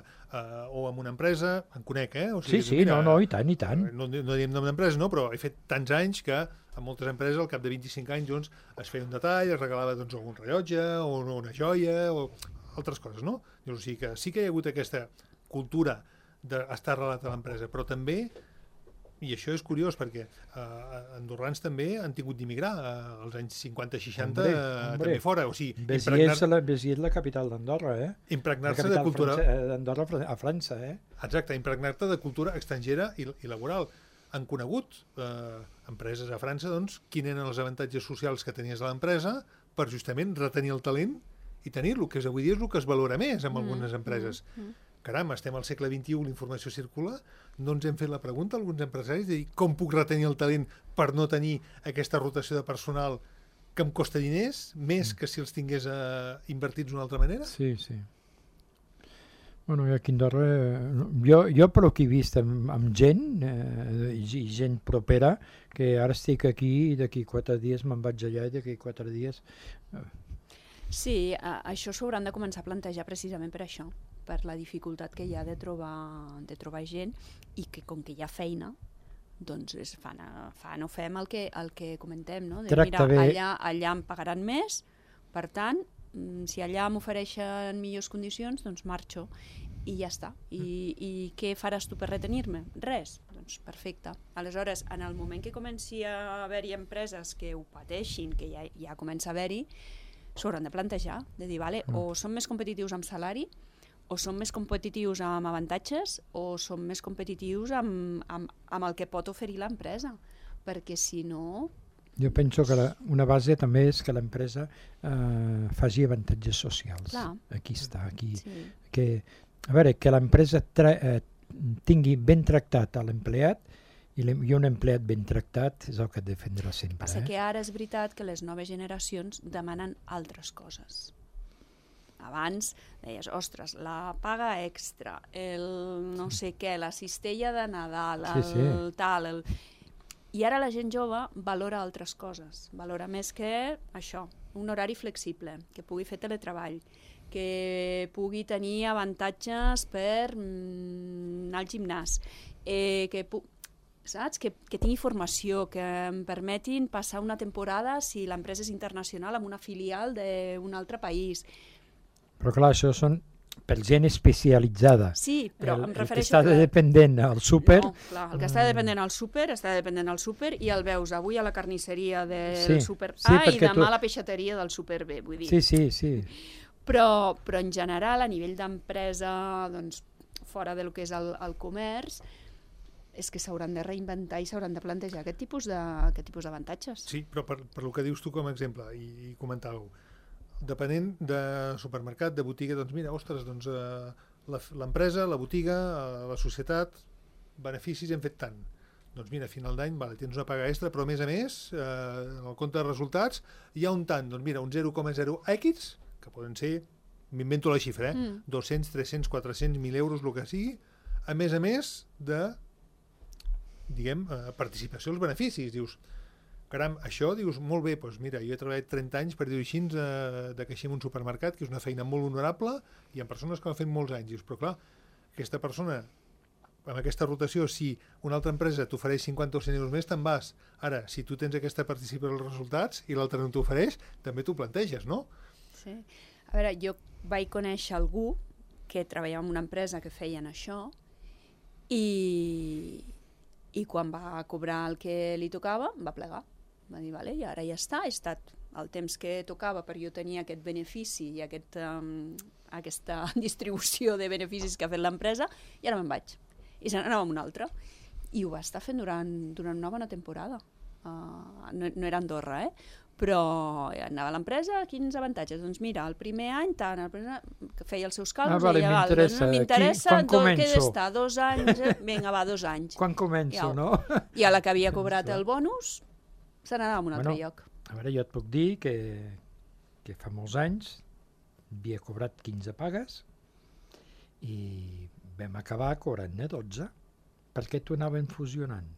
[SPEAKER 2] o en una empresa, en conec, O sigui,
[SPEAKER 4] sí, mira, i tant.
[SPEAKER 2] No diem nom d'empresa, no, però he fet tants anys que en moltes empreses al cap de 25 anys doncs, es feia un detall, es regalava doncs, algun rellotge o una joia o altres coses, no? O sigui que sí que hi ha hagut aquesta cultura d'estar arrelat a l'empresa, però també, i això és curiós perquè andorrans també han tingut d'immigrar als anys 50-60 també fora, o sigui...
[SPEAKER 4] Béziers és la capital d'Andorra,
[SPEAKER 2] Impregnar-se de cultura...
[SPEAKER 4] d'Andorra a França,
[SPEAKER 2] Exacte, impregnar-te de cultura estrangera i laboral. Han conegut empreses a França, doncs, quins eren els avantatges socials que tenies a l'empresa per justament retenir el talent i tenir-lo, que avui dia és el que es valora més en algunes empreses. Caram, estem al segle XXI, la informació circula, no ens hem fet la pregunta a alguns empresaris de dir com puc retenir el talent per no tenir aquesta rotació de personal que em costa diners, més que si els tingués invertits d'una altra manera?
[SPEAKER 4] Sí. Bueno, aquí a Andorra, jo pel que he vist amb gent, i gent propera, que ara estic aquí i d'aquí 4 dies me'n vaig allà i d'aquí 4 dies...
[SPEAKER 3] Sí, això s'ho hauran de començar a plantejar precisament per això, per la dificultat que hi ha de trobar gent i que com que hi ha feina, doncs fan o fem el que comentem, no? De, mira, allà em pagaran més, per tant, si allà m'ofereixen millors condicions, doncs marxo i ja està. I què faràs tu per retenir-me? Res. Doncs perfecte. Aleshores, en el moment que comenci a haver-hi empreses que ho pateixin, que ja comença a haver-hi, s'hauran de plantejar, de dir, vale, o som més competitius amb salari, o som més competitius amb avantatges, o som més competitius amb el que pot oferir l'empresa, perquè si no...
[SPEAKER 4] Jo penso que una base també és que l'empresa faci avantatges socials.
[SPEAKER 3] Clar.
[SPEAKER 4] Aquí està, aquí.
[SPEAKER 3] Sí.
[SPEAKER 4] A veure, que l'empresa tingui ben tractat a l'empleat i un empleat ben tractat és el que defendrà sempre.
[SPEAKER 3] Passa que ara és veritat que les noves generacions demanen altres coses. Abans deies, ostres, la paga extra, el no sé què, la cistella de Nadal, tal... I ara la gent jove valora altres coses. Valora més que això, un horari flexible, que pugui fer teletreball, que pugui tenir avantatges per anar al gimnàs, saps? Que tingui formació, que em permetin passar una temporada, si l'empresa és internacional, amb una filial d'un altre país.
[SPEAKER 4] Però clar, això són per gent especialitzada.
[SPEAKER 3] Sí, però em refereixo...
[SPEAKER 4] El que està dependent al súper...
[SPEAKER 3] No, clar, el que està dependent al súper, i el veus avui a la carnisseria del súper A i demà a la peixateria del súper B, vull dir.
[SPEAKER 4] Sí.
[SPEAKER 3] Però en general, a nivell d'empresa, doncs, fora del que és el comerç, és que s'hauran de reinventar i s'hauran de plantejar aquest tipus d'avantatges.
[SPEAKER 2] Sí, però per el que dius tu com a exemple, i comentàveu, depenent de supermercat, de botiga, doncs mira, ostres, doncs l'empresa, la botiga, la societat, beneficis hem fet tant. Doncs mira, a final d'any tens una paga extra, però a més, en el compte de resultats hi ha un tant, doncs mira, un 0,0X, que poden ser, m'invento la xifra, 200, 300, 400, 1.000 euros, el que sigui, a més de, diguem, participació als beneficis. Dius, caram, això, dius, molt bé, doncs mira, jo he treballat 30 anys, per dir-ho així, de caixer en un supermercat, que és una feina molt honorable, i hi ha persones que ho han fet molts anys. Dius, però clar, aquesta persona, amb aquesta rotació, si una altra empresa t'ofereix 50 o 100 euros més, te'n vas. Ara, si tu tens aquesta participació als resultats i l'altra no t'ofereix, també t'ho planteges, no?
[SPEAKER 3] Sí. A veure, jo vaig conèixer algú que treballava en una empresa que feien això i quan va cobrar el que li tocava, va plegar. Va dir, vale, i ara ja està, he estat el temps que tocava per jo tenir aquest benefici i aquesta distribució de beneficis que ha fet l'empresa, i ara me'n vaig. I se n'anava amb una altra. I ho va estar fent durant una bona temporada. No era Andorra, però anava a l'empresa, quins avantatges? Doncs mira, el primer any, tant, que feia els seus càlculs, m'interessa, què d'estar, 2 anys, vinga, va, 2 anys.
[SPEAKER 4] Quan començo, no?
[SPEAKER 3] I a la que havia cobrat el bonus, se n'anava a un altre lloc.
[SPEAKER 4] A veure, jo et puc dir que fa molts anys havia cobrat 15 pagues i vam acabar cobrant-ne 12, perquè t'ho anaven fusionant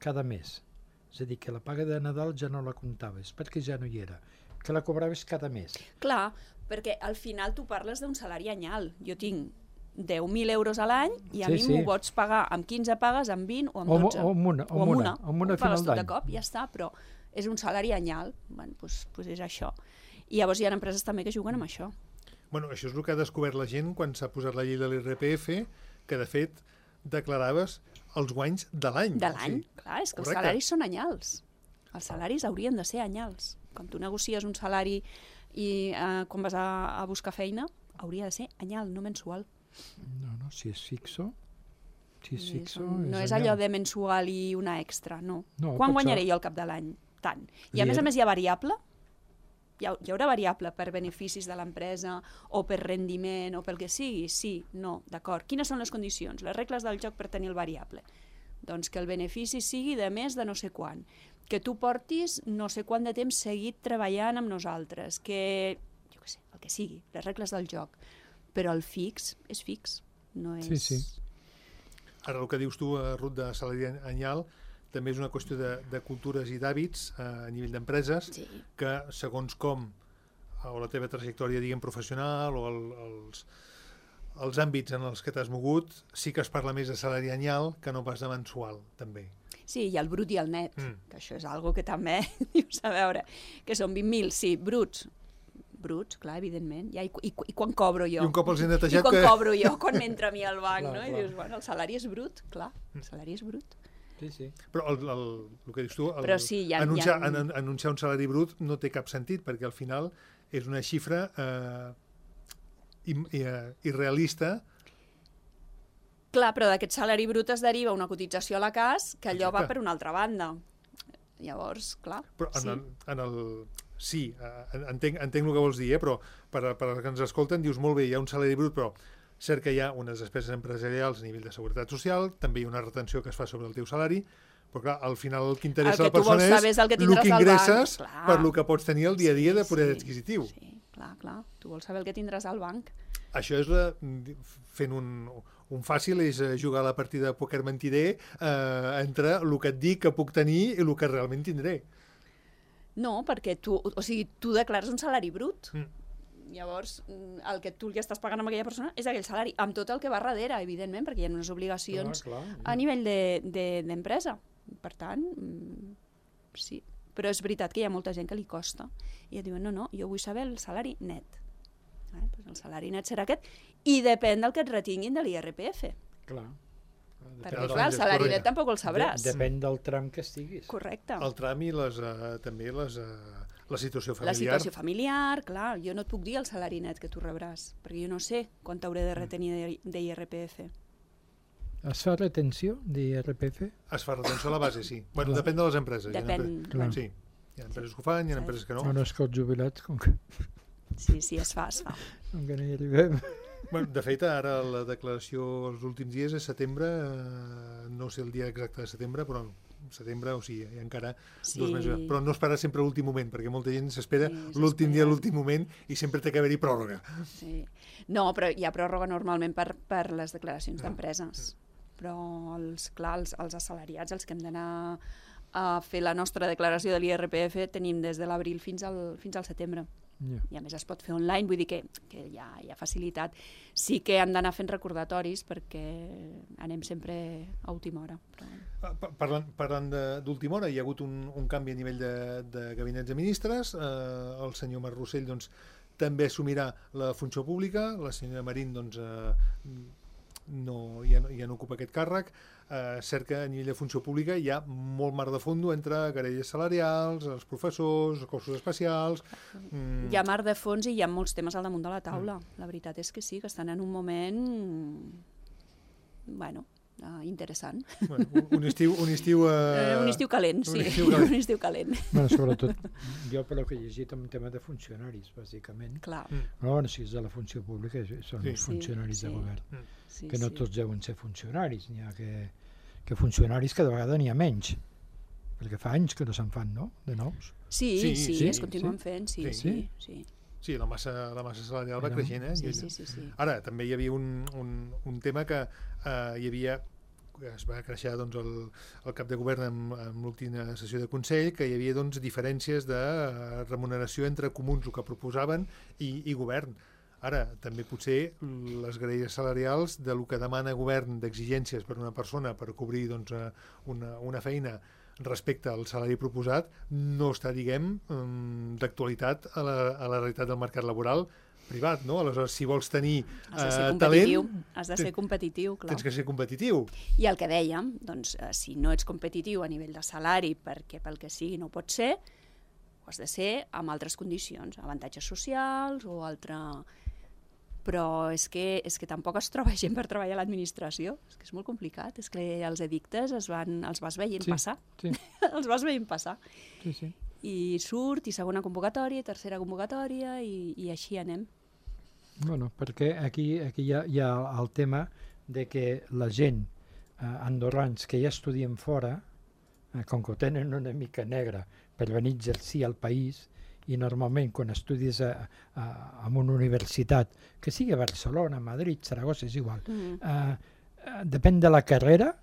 [SPEAKER 4] cada mes. És a dir, que la paga de Nadal ja no la comptaves, perquè ja no hi era, que la cobraves cada mes.
[SPEAKER 3] Clar, perquè al final tu parles d'un salari anyal. Jo tinc 10.000 euros a l'any i a mi m'ho pots pagar amb 15 pagues, amb 20 o amb 12.
[SPEAKER 4] O amb una final d'any.
[SPEAKER 3] De cop, ja està, però és un salari anyal. Bueno, doncs és això. I llavors hi ha empreses també que juguen amb això.
[SPEAKER 2] Bueno, això és el que ha descobert la gent quan s'ha posat la llei de l'IRPF, que de fet declaraves els guanys de l'any.
[SPEAKER 3] De l'any, clar, és que els salaris són anyals. Els salaris haurien de ser anyals. Quan tu negocies un salari i quan vas a buscar feina, hauria de ser anyal, no mensual.
[SPEAKER 4] No, si és fixo...
[SPEAKER 3] No és allò de mensual i una extra, no. Quan guanyaré jo al cap de l'any? Tant. I a més hi ha variable, hi haurà variable per beneficis de l'empresa o per rendiment o pel que sigui? Sí, no, d'acord. Quines són les condicions, les regles del joc per tenir el variable? Doncs que el benefici sigui de més de no sé quant, que tu portis no sé quant de temps seguit treballant amb nosaltres, que, jo què sé, el que sigui, les regles del joc. Però el fix és fix, no és...
[SPEAKER 4] Sí.
[SPEAKER 2] Ara el que dius tu, Ruth, de salari anyal, també és una qüestió de cultures i d'hàbits a nivell d'empreses, que segons com, o la teva trajectòria, diguem, professional, o els àmbits en els que t'has mogut, sí que es parla més de salari anyal que no pas de mensual, també.
[SPEAKER 3] Sí, i el brut i el net, que això és algo que també dius, a veure, que són 20.000, sí, bruts, clar, evidentment, ja, i quan cobro jo?
[SPEAKER 2] I un cop els he netejat...
[SPEAKER 3] I quan cobro jo, quan m'entra a mi al banc, no? I dius, bueno, el salari és brut, clar, el salari és brut.
[SPEAKER 2] Sí. Però el que dius tu, anunciar un salari brut no té cap sentit, perquè al final és una xifra irrealista.
[SPEAKER 3] Clar, però d'aquest salari brut es deriva una cotització a la CAS, que allò va per una altra banda. Llavors, clar,
[SPEAKER 2] però sí, entenc el que vols dir, però per als que ens escolten dius molt bé, hi ha un salari brut, però cert que hi ha unes despeses empresarials a nivell de seguretat social, també hi ha una retenció que es fa sobre el teu salari, però clar, al final el que interessa a la persona és el que ingresses per el que pots tenir el dia a dia de poder adquisitiu.
[SPEAKER 3] Sí, clar, tu vols saber el que tindràs al banc.
[SPEAKER 2] Això és, fent un fàcil, és jugar a la partida de pòquer mentider entre el que et dic que puc tenir i el que realment tindré.
[SPEAKER 3] No, perquè tu declares un salari brut. Llavors, el que tu li estàs pagant a aquella persona és aquell salari, amb tot el que va darrere, evidentment, perquè hi ha unes obligacions a nivell d'empresa. Per tant, sí. Però és veritat que hi ha molta gent que li costa. I et diuen, no, jo vull saber el salari net. El salari net serà aquest, i depèn del que et retinguin de l'IRPF.
[SPEAKER 4] Clar.
[SPEAKER 3] Perquè, clar, el salari net tampoc el sabràs.
[SPEAKER 4] Depèn del tram que estiguis.
[SPEAKER 3] Correcte.
[SPEAKER 2] El tram i també la situació familiar.
[SPEAKER 3] La situació familiar, clar. Jo no et puc dir el salari net que tu rebràs, perquè jo no sé quant t'hauré de retenir d'IRPF.
[SPEAKER 4] Es fa retenció d'IRPF?
[SPEAKER 2] Es fa retenció a la base, sí. Bueno, depèn de les empreses.
[SPEAKER 3] Depèn.
[SPEAKER 2] Sí. Hi ha empreses que ho fan, hi ha empreses que no.
[SPEAKER 4] No és que els jubilats, com que...
[SPEAKER 3] Sí, es fa.
[SPEAKER 4] Com que no hi arribem.
[SPEAKER 2] Bueno, de fet, ara la declaració els últims dies és setembre, no sé el dia exacte de setembre, però setembre, o sigui, hi ha encara 2 mesos. Però no espera sempre l'últim moment, perquè molta gent s'espera l'últim dia, l'últim moment, i sempre té que haver-hi pròrroga.
[SPEAKER 3] Sí. No, però hi ha pròrroga normalment per les declaracions d'empreses. Però, els assalariats, els que hem d'anar a fer la nostra declaració de l'IRPF, tenim des de l'abril fins al setembre. I a més es pot fer online, vull dir que hi ha facilitat. Sí que hem d'anar fent recordatoris perquè anem sempre a última hora.
[SPEAKER 2] Parlant d'última hora, hi ha hagut un canvi a nivell de gabinets de ministres. El senyor Marc Rossell també assumirà la funció pública, la senyora Marín ja no ocupa aquest càrrec. Cert que a nivell de funció pública hi ha molt mar de fondo entre querelles salarials, els professors, els cossos especials...
[SPEAKER 3] Hi ha mar de fons i hi ha molts temes al damunt de la taula. La veritat és que sí, que estan en un moment... interessant.
[SPEAKER 2] Un estiu
[SPEAKER 3] calent, sí. Un estiu calent.
[SPEAKER 4] Sobretot, jo per que he llegit un tema de funcionaris, bàsicament.
[SPEAKER 3] Clar.
[SPEAKER 4] Però si és de la funció pública, són els funcionaris de govern. Que no tots deuen ser funcionaris. N'hi ha que funcionaris que de vegades n'hi ha menys. Perquè fa anys que no se'n fan, no?, de nous.
[SPEAKER 3] Sí, es continuen fent, sí.
[SPEAKER 2] Sí, la massa salarial va creixent,
[SPEAKER 3] Sí.
[SPEAKER 2] Ara, també hi havia un tema que es va creixer el cap de govern en l'última sessió de Consell, que hi havia diferències de remuneració entre comuns, el que proposaven, i govern. Ara, també potser les graelles salarials del que demana govern d'exigències per una persona per cobrir una feina respecte al salari proposat no està, diguem, d'actualitat a la realitat del mercat laboral privat, no? Aleshores, si vols tenir talent...
[SPEAKER 3] Has de ser competitiu, clar.
[SPEAKER 2] Tens que ser competitiu.
[SPEAKER 3] I el que dèiem, doncs, si no ets competitiu a nivell de salari perquè pel que sigui no pot ser, ho has de ser amb altres condicions, avantatges socials o altre... Però és que tampoc es troba gent per treballar a l'administració. És que és molt complicat. És que els edictes els vas veient passar.
[SPEAKER 4] Sí.
[SPEAKER 3] Els vas veient passar.
[SPEAKER 4] Sí.
[SPEAKER 3] i surt, i segona convocatòria, i tercera convocatòria, i així anem.
[SPEAKER 4] Bueno, perquè aquí hi ha el tema de que la gent andorrans que ja estudien fora, com que ho tenen una mica negra per venir a exercir al país, i normalment quan estudies en una universitat, que sigui a Barcelona, Madrid, Saragossa, és igual, depèn de la carrera,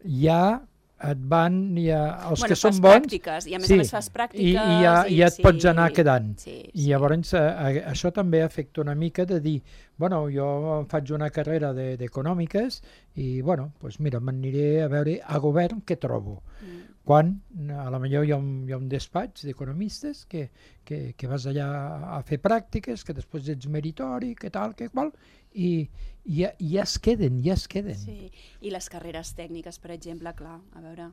[SPEAKER 4] ja et van, els que són bons...
[SPEAKER 3] Pràctiques, i a més a més fas pràctiques...
[SPEAKER 4] I ja et pots anar quedant. I llavors això també afecta una mica de dir, bueno, jo faig una carrera d'econòmiques i, bueno, doncs mira, m'aniré a veure a govern què trobo. Quan a la millor hi ha un despatx d'economistes que vas allà a fer pràctiques, que després ets meritori, que tal, que qual, i ja es queden. Sí,
[SPEAKER 3] i les carreres tècniques, per exemple, clar, a veure,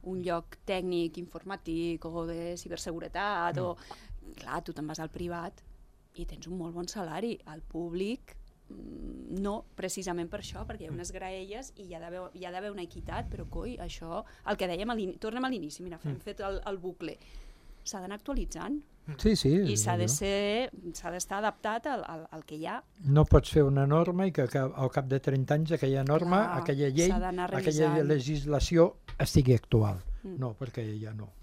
[SPEAKER 3] un lloc tècnic, informàtic o de ciberseguretat, clar, tu te'n vas al privat i tens un molt bon salari, al públic no, precisament per això, perquè hi ha unes graelles i hi ha d'haver una equitat, però coi, això, el que dèiem, tornem a l'inici, mira, hem fet el bucle, s'ha d'anar actualitzant.
[SPEAKER 4] Sí.
[SPEAKER 3] I s'ha d'estar adaptat al que hi ha.
[SPEAKER 4] No pots fer una norma i que al cap de 30 anys aquella norma, aquella llei, aquella legislació estigui actual. No, perquè ja no.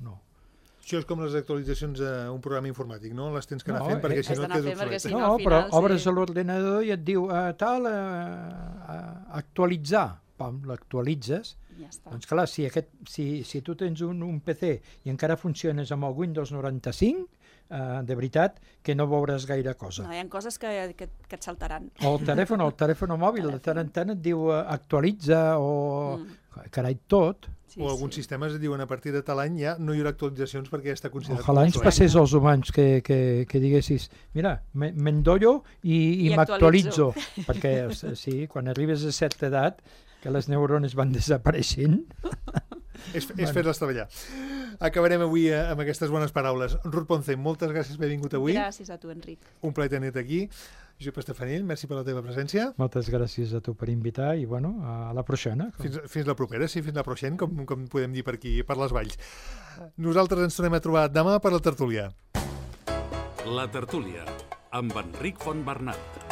[SPEAKER 2] Això és com les actualitzacions d'un programa informàtic, no? Les tens que anar fent perquè si no et quedes obsolet.
[SPEAKER 4] No, però obres l'ordenador i et diu actualitzar. Pam, l'actualitzes. Doncs clar, si tu tens un PC i encara funciones amb el Windows 95, de veritat que no veuràs gaire cosa.
[SPEAKER 3] No, hi ha coses que et saltaran.
[SPEAKER 4] O el telèfon mòbil, de tant en tant et diu actualitza o carai tot.
[SPEAKER 2] O alguns sistemes et diuen a partir de tal any ja no hi haurà actualitzacions perquè ja està considerat.
[SPEAKER 4] Ojalà ens passés als humans que diguessis, mira, m'endollo i m'actualitzo. Perquè sí, quan arribes a certa edat, que les neurones van desapareixent.
[SPEAKER 2] És fer-les treballar. Acabarem avui amb aquestes bones paraules. Ruth Ponce, moltes gràcies per haver vingut avui.
[SPEAKER 3] Gràcies a tu, Enric.
[SPEAKER 2] Un plaer tenir-te aquí. Josep Estefanell, merci per la teva presència.
[SPEAKER 4] Moltes gràcies a tu per invitar i, bueno, a la pròxima.
[SPEAKER 2] Fins la propera, sí, fins la pròxima, com podem dir per aquí, per les valls. Nosaltres ens tornem a trobar demà per la tertúlia.
[SPEAKER 1] La tertúlia, amb Enric Fontbernat.